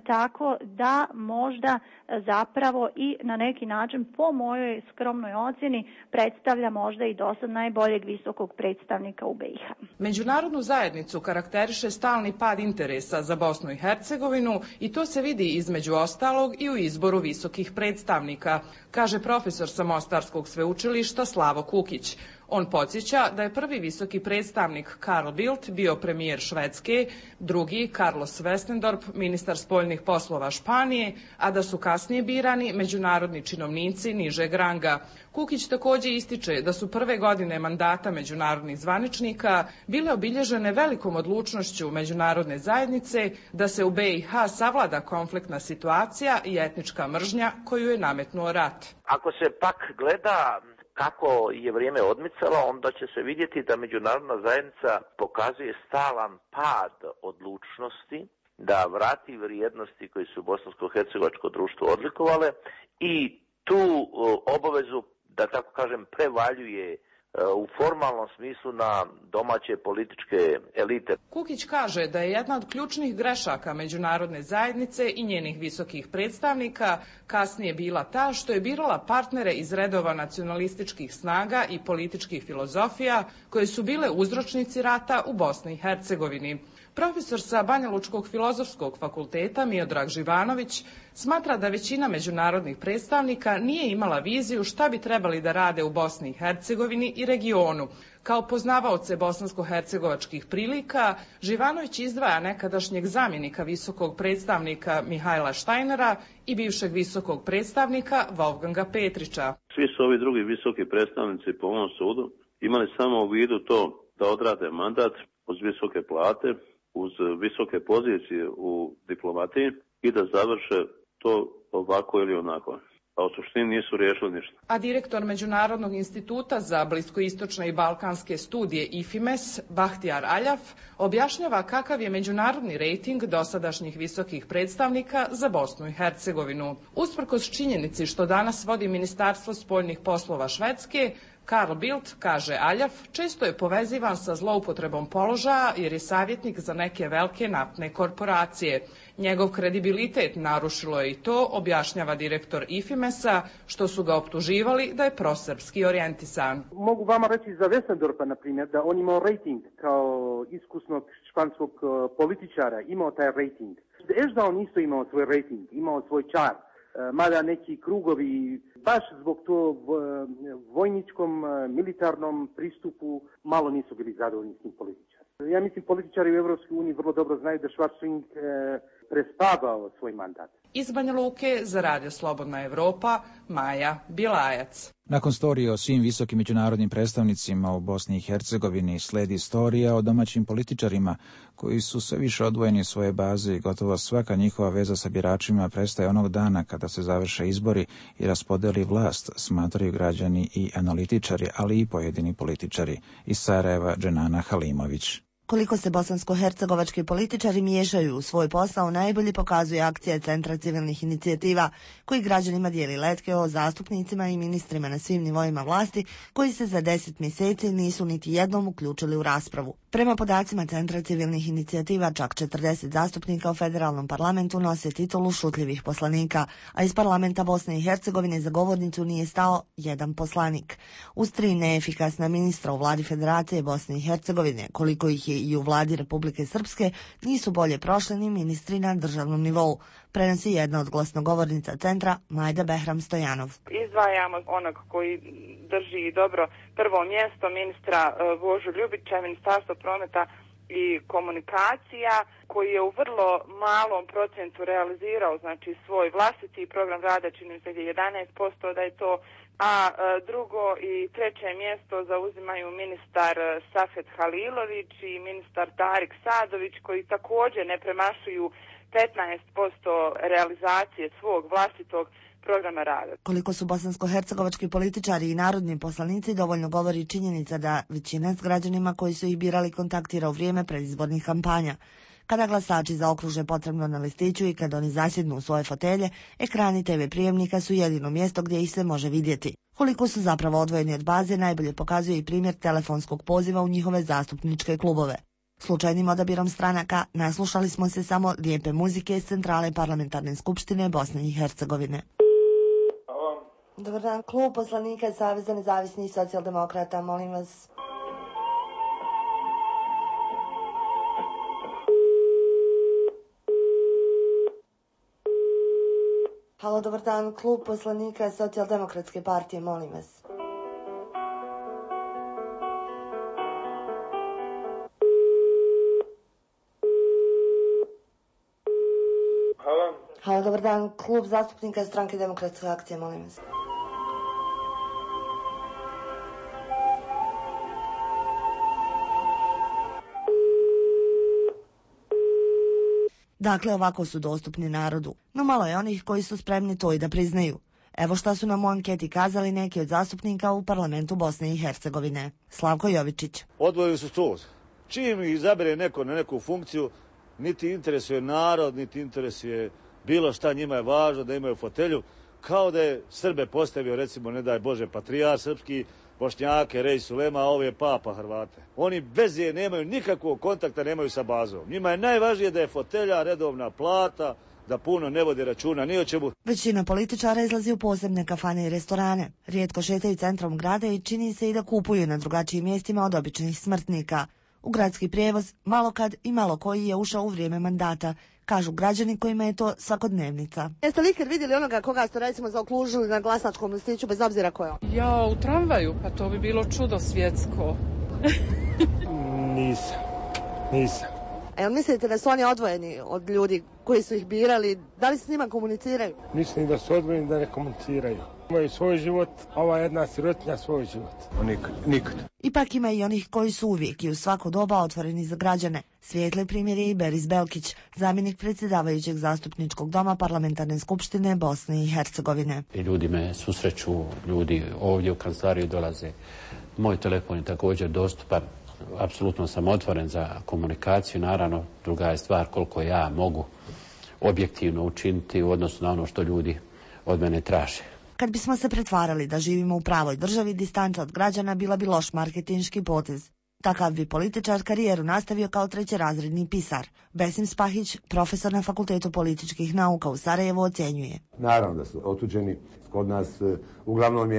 tako da možda zapravo i na neki način po mojoj skromnoj ocjeni predstavlja možda i dosad najboljeg visokog predstavnika u BiH. Međunarodnu zajednicu karakteriše stalni pad interesa za Bosnu i Hercegovinu i to se vidi između ostalog i u izboru visokih predstavnika, kaže profesor sa Mostarskog sveučilišta Slavo Kukić. On podsjeća da je prvi visoki predstavnik Carl Bildt bio premijer Švedske, drugi Carlos Westendorp, ministar spoljnih poslova Španije, a da su kasnije birani međunarodni činovnici nižeg ranga. Kukić također ističe da su prve godine mandata međunarodnih zvaničnika bile obilježene velikom odlučnošću međunarodne zajednice da se u BiH savlada konfliktna situacija i etnička mržnja koju je nametnuo rat. Ako se pak gleda kako je vrijeme odmicalo, onda će se vidjeti da međunarodna zajednica pokazuje stalan pad odlučnosti da vrati vrijednosti koje su bosansko-hercegovačko društvo odlikovale i tu obavezu, da tako kažem, prevaljuje u formalnom smislu na domaće političke elite. Kukić kaže da je jedna od ključnih grešaka međunarodne zajednice i njenih visokih predstavnika kasnije bila ta što je birala partnere iz redova nacionalističkih snaga i političkih filozofija koje su bile uzročnici rata u Bosni i Hercegovini. Profesor sa Banjalučkog filozofskog fakulteta Miodrag Živanović smatra da većina međunarodnih predstavnika nije imala viziju šta bi trebali da rade u Bosni i Hercegovini i regionu. Kao poznavaoce bosansko-hercegovačkih prilika, Živanović izdvaja nekadašnjeg zamjenika visokog predstavnika Mihajla Štajnera i bivšeg visokog predstavnika Wolfganga Petrića. Svi su ovi drugi visoki predstavnici po ovom sudu imali samo u vidu to da odrade mandat uz visoke plate, uz visoke pozicije u diplomatiji i da završe to ovako ili onako. A u suštini nisu riješili ništa. A direktor Međunarodnog instituta za bliskoistočne i balkanske studije IFIMES, Bahtiyar Aljaf, objašnjava kakav je međunarodni rejting dosadašnjih visokih predstavnika za Bosnu i Hercegovinu. Usprkos činjenici što danas vodi Ministarstvo spoljnih poslova Švedske, Carl Bildt, kaže Aljaf, često je povezivan sa zloupotrebom položaja jer je savjetnik za neke velike naftne korporacije. Njegov kredibilitet narušilo je i to, objašnjava direktor IFIMES-a, što su ga optuživali da je prosrpski orijentisan. Mogu vama reći za Westendorpa, na primjer, da on imao rejting kao iskusnog španskog političara, imao taj rejting. Da on isto imao svoj rejting, imao svoj čar. Mada neki krugovi baš zbog to vojničkom, militarnom pristupu malo nisu bili zadovoljni s tim političarima. Ja mislim političari u Evropskoj uniji vrlo dobro znaju da Schwarzenegger prespavao svoj mandat. Iz Banja Luke za Radio Slobodna Evropa, Maja Bilajac. Nakon storije o svim visokim međunarodnim predstavnicima u Bosni i Hercegovini sledi storija o domaćim političarima koji su sve više odvojeni iz svoje baze i gotovo svaka njihova veza sa biračima prestaje onog dana kada se završe izbori i raspodeli vlast, smatraju građani i analitičari, ali i pojedini političari. Iz Sarajeva, Dženana Halimović. Koliko se bosansko-hercegovački političari miješaju u svoj posao najbolje pokazuje akcija Centra civilnih inicijativa koji građanima dijeli letke o zastupnicima i ministrima na svim nivoima vlasti koji se za 10 mjeseci nisu niti jednom uključili u raspravu. Prema podacima Centra civilnih inicijativa čak 40 zastupnika u federalnom parlamentu nose titulu šutljivih poslanika, a iz parlamenta Bosne i Hercegovine za govornicu nije stao jedan poslanik. Uz 3 neefikasna ministra u vladi Federacije Bosne i Hercegovine, koliko ih je i u vladi Republike Srpske, nisu bolje prošli ni ministri na državnom nivou, prenosi jedna od glasnogovornica centra Majda Behram Stojanov. Izdvajamo onog koji drži dobro prvo mjesto, ministra Božu Ljubića, Ministarstvo prometa i komunikacija, koji je u vrlo malom procentu realizirao znači svoj vlastiti program rada, čini mi se 11% da je to, a drugo i treće mjesto zauzimaju ministar Safet Halilović i ministar Tarik Sadović, koji također ne premašuju 15% realizacije svog vlastitog programa rada. Koliko su bosansko-hercegovački političari i narodni poslanici dovoljno govori činjenica da većina s građanima koji su ih birali kontaktira u vrijeme predizbornih kampanja. Kada glasači zaokruže potrebno na listiću i kad oni zasjednu u svoje fotelje, ekrani TV prijemnika su jedino mjesto gdje ih se može vidjeti. Koliko su zapravo odvojeni od baze najbolje pokazuje i primjer telefonskog poziva u njihove zastupničke klubove. Slučajnim odabirom stranaka naslušali smo se samo lijepe muzike iz centrale parlamentarne skupštine Bosne i Hercegovine. Dobar dan, klub poslanika Saveza nezavisnih socijaldemokrata, molim vas. Halo, dobar dan, klub poslanika Socijaldemokratske partije, molim vas. Halo, dobar dan, klub zastupnika Stranke demokratske akcije, molim vas. Dakle, ovako su dostupni narodu, no malo je onih koji su spremni to i da priznaju. Evo šta su nam u anketi kazali neki od zastupnika u parlamentu Bosne i Hercegovine. Slavko Jovičić. Odvojili su to. Čim ih izabere neko na neku funkciju, niti interesuje narod, niti interesuje bilo šta, njima je važno da imaju fotelju, kao da je Srbe postavio, recimo, ne daj Bože, patrijar srpski, Bošnjake, Rej Sulema, a ovo je Papa Hrvate. Oni bez je nemaju nikakvog kontakta, nemaju sa bazom. Njima je najvažnije da je fotelja, redovna plata, da puno ne vodi računa ni o čemu. Većina političara izlazi u posebne kafane i restorane. Rijetko šetaju centrom grada i čini se i da kupuju na drugačijim mjestima od običnih smrtnika. U gradski prijevoz malo kad i malo koji je ušao u vrijeme mandata, kažu građani kojima je to svakodnevnica. Jeste li ikad vidjeli onoga koga ste recimo zaokružili na glasačkom listiću bez obzira ko je on? Ja, u tramvaju, pa to bi bilo čudo svjetsko. Nisam. A jel mislite da su oni odvojeni od ljudi koji su ih birali? Da li s njima komuniciraju? Mislim da su odvojeni, da ne komuniciraju. Imaju svoj život, ova jedna sirotinja svoj život. Nikad. Ipak ima i onih koji su uvijek i u svako doba otvoreni za građane. Svijetli primjer je i Beris Belkić, zamjenik predsjedavajućeg zastupničkog doma parlamentarne skupštine Bosne i Hercegovine. I ljudi me susreću, ljudi ovdje u kancelariju dolaze. Moj telefon je također dostupan. Apsolutno sam otvoren za komunikaciju. Naravno, druga je stvar koliko ja mogu objektivno učiniti u odnosu na ono što ljudi od mene traže. Kad bismo se pretvarali da živimo u pravoj državi, distanca od građana bila bi loš marketinški potez. Takav bi političar karijeru nastavio kao trećerazredni pisar. Besim Spahić, profesor na Fakultetu političkih nauka u Sarajevu, ocjenjuje. Naravno da su otuđeni. Kod nas uglavnom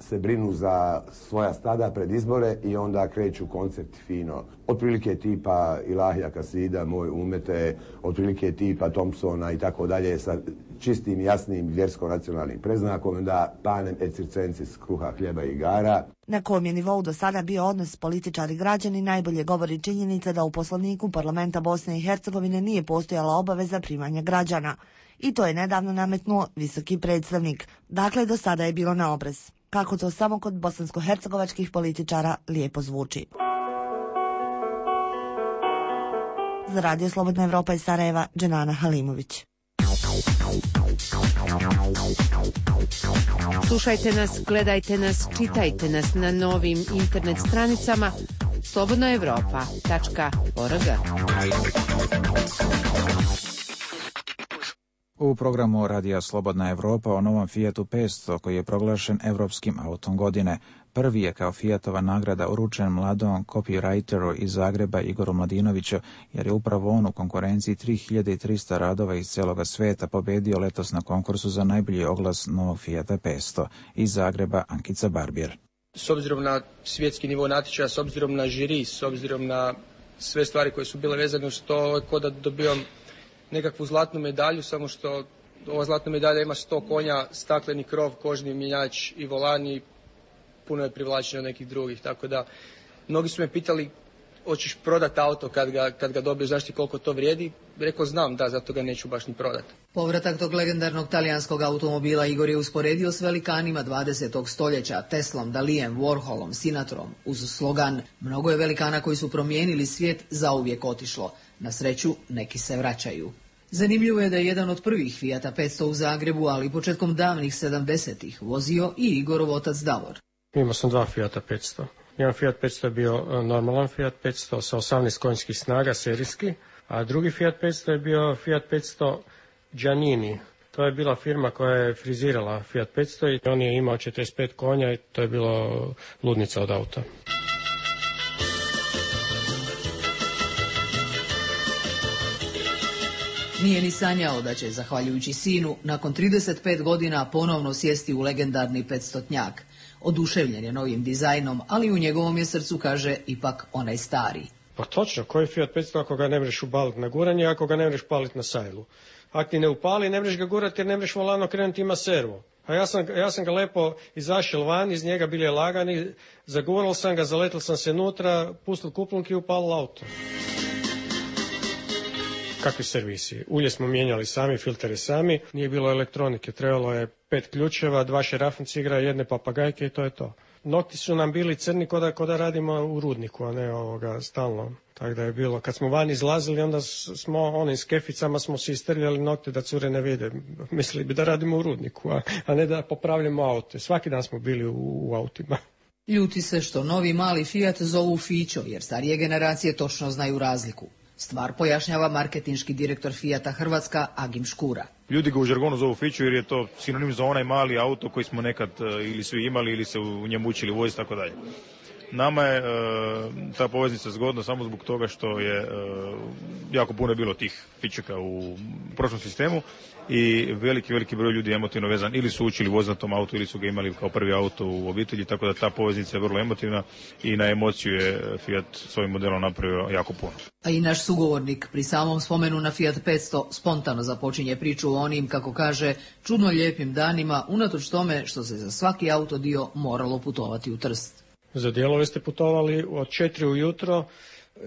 se brinu za svoja stada pred izbore i onda kreću koncept fino. Otprilike tipa Ilahija Kasida, Moj umete, otprilike tipa Thompsona i tako dalje sa čistim, jasnim vjersko-nacionalnim preznakom, da panem et circensis, kruha, hljeba i igara. Na kom je nivou do sada bio odnos političari građani najbolje govori činjenica da u Poslovniku parlamenta Bosne i Hercegovine nije postojala obaveza primanja građana. I to je nedavno nametnuo visoki predstavnik. Dakle, do sada je bilo na obrez. Kako to samo kod bosansko-hercegovačkih političara lijepo zvuči. Za Radio Slobodna Evropa iz Sarajeva, Dženana Halimović. Slušajte nas, gledajte nas, čitajte nas na novim internet stranicama slobodnaevropa.org. U programu Radija Slobodna Evropa o novom Fiatu 500 koji je proglašen Evropskim autom godine. Prvi je kao Fiatova nagrada uručen mladom copywriteru iz Zagreba Igoru Mladinoviću, jer je upravo on u konkurenciji 3300 radova iz cijeloga svijeta pobedio letos na konkursu za najbolji oglas novog Fiata 500. Iz Zagreba Ankica Barbier. S obzirom na svjetski nivo natječaja, s obzirom na žiri, s obzirom na sve stvari koje su bile vezane uz to, kao da dobijam nekakvu zlatnu medalju, samo što ova zlatna medalja ima 100 konja, stakleni krov, kožni mjenjač i volan i puno je privlačenja od nekih drugih, tako da mnogi su me pitali hoćeš prodati auto kad ga dobiješ, znaš ti koliko to vrijedi? Rekao znam, da, zato ga neću baš ni prodati. Povratak tog legendarnog talijanskog automobila Igor je usporedio s velikanima 20. stoljeća, Teslom, Dalijem, Warholom, Sinatrom, uz slogan "Mnogo je velikana koji su promijenili svijet, zauvijek otišlo. Na sreću, neki se vraćaju." Zanimljivo je da je jedan od prvih Fijata 500 u Zagrebu, ali početkom davnih 70-ih vozio i Igorov otac Davor. Imao sam dva Fijata 500. Jedan Fiat 500 je bio normalan Fiat 500 sa 18 konjskih snaga, serijski, a drugi Fiat 500 je bio Fiat 500 Giannini. To je bila firma koja je frizirala Fiat 500 i on je imao 45 konja i to je bilo ludnica od auta. Nije ni sanjao da će, zahvaljujući sinu, nakon 35 godina ponovno sjesti u legendarni 500-tnjak. Oduševljen je novim dizajnom, ali u njegovom je srcu, kaže, ipak onaj stari. Pa točno, koji Fiat 500 ako ga ne mreš ubaliti na guranje, ako ga ne mreš paliti na sajlu? Ako ti ne upali, ne mreš ga gurati jer ne mreš volano krenuti, ima servo. A ja sam ga lepo izašel van, iz njega bili je lagani, zagural sam ga, zaletel sam se nutra, pustil kuplunki i upalil auto. Kakvi servisi? Ulje smo mijenjali sami, filtere sami, nije bilo elektronike, trebalo je 5 ključeva, 2 šerafancigra, 1 papagajke i to je to. Nokti su nam bili crni ko da radimo u rudniku, a ne stalno. Tako da je bilo, kad smo van izlazili, onda smo onim skeficama smo si istrljali nokte da cure ne vide. Mislili bi da radimo u rudniku, a ne da popravljamo aute. Svaki dan smo bili u autima. Ljuti se što novi mali Fiat zovu Fićo, jer starije generacije točno znaju razliku. Stvar pojašnjava marketinški direktor Fijata Hrvatska Agim Škura. Ljudi ga u žargonu zovu Fiću jer je to sinonim za onaj mali auto koji smo nekad ili svi imali ili se u njemu učili voziti, tako dalje. Nama je ta poveznica zgodna samo zbog toga što je jako puno bilo tih Fićaka u prošlom sistemu i veliki broj ljudi je emotivno vezan, ili su učili voziti na tom autu ili su ga imali kao prvi auto u obitelji, tako da ta poveznica je vrlo emotivna i na emociju je Fiat s ovim modelom napravio jako puno. A i naš sugovornik pri samom spomenu na Fiat 500 spontano započinje priču o onim, kako kaže, čudno lijepim danima, unatoč tome što se za svaki autodio moralo putovati u Trst. Za dijelove ste putovali od 4 ujutro,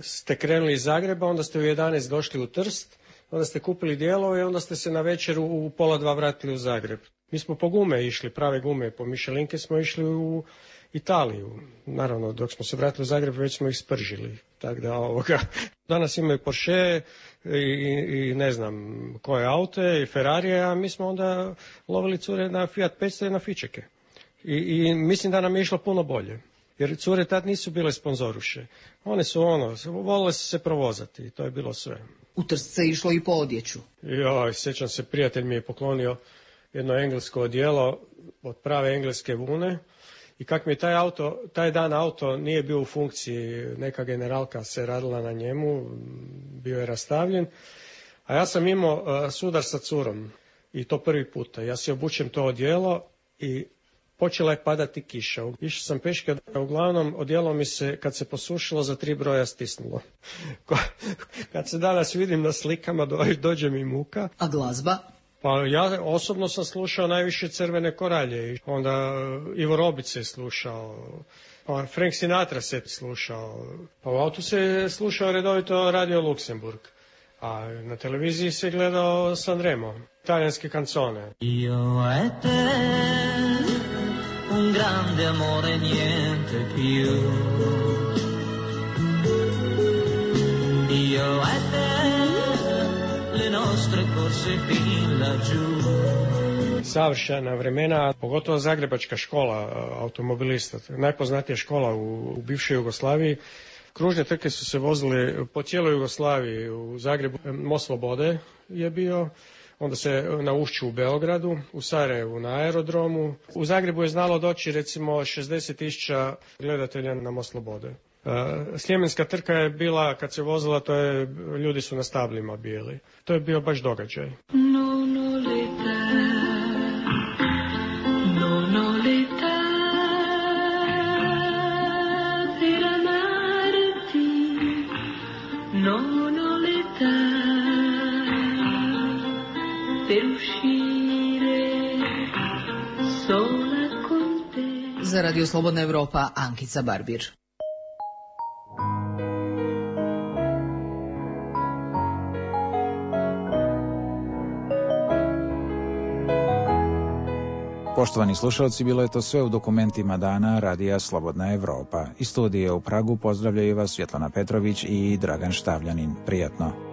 ste krenuli iz Zagreba, onda ste u 11 došli u Trst, onda ste kupili dijelove i onda ste se na večer u 1:30 vratili u Zagreb. Mi smo po gume išli, prave gume, po Michelinke smo išli u Italiju. Naravno, dok smo se vratili u Zagreb, već smo ih spržili. Tako da danas imaju Porsche i ne znam koje aute i Ferrarije, a mi smo onda lovili cure na Fiat 500 i na Fićeke. I mislim da nam je išlo puno bolje. Jer cure tad nisu bile sponzoruše. One su volile su se provozati i to je bilo sve. U Trst se išlo i po odjeću. Sjećam se, prijatelj mi je poklonio jedno englesko odijelo od prave engleske vune i kak mi je taj dan auto nije bio u funkciji, neka generalka se radila na njemu, bio je rastavljen, a ja sam imao sudar sa curom i to prvi puta. Ja si obučem to odijelo i počela je padati kiša. Išao sam peške, uglavnom odijelo mi se, kad se posušilo, za 3 broja stisnulo. Kad se danas vidim na slikama, dođe mi muka. A glazba? Pa ja osobno sam slušao najviše Crvene koralje. Onda Ivo Robić se slušao, pa Frank Sinatra se slušao. Pa u autu se slušao redovito Radio Luksemburg. A na televiziji se gledao Sanremo, italijanske kancone. Un grande amore, niente più. Io e te, le nostre corse fin laggiù. Savršena vremena, pogotovo zagrebačka škola automobilista, najpoznatija škola u bivšoj Jugoslaviji. Kružne trke su se vozile po cijeloj Jugoslaviji. U Zagrebu Most Slobode je bio, onda se na Ušću u Beogradu, u Sarajevu na aerodromu. U Zagrebu je znalo doći recimo 60.000 gledatelja na Most Slobode. Sljemenska trka je bila, kad se vozila, ljudi su na stablima bili. To je bio baš događaj. Za Radio Slobodna Evropa, Ankica Barbir. Poštovani slušalci, bilo je to sve u dokumentima dana Radija Slobodna Evropa. Iz studije u Pragu pozdravljaju vas Svjetlana Petrović i Dragan Štavljanin. Prijatno.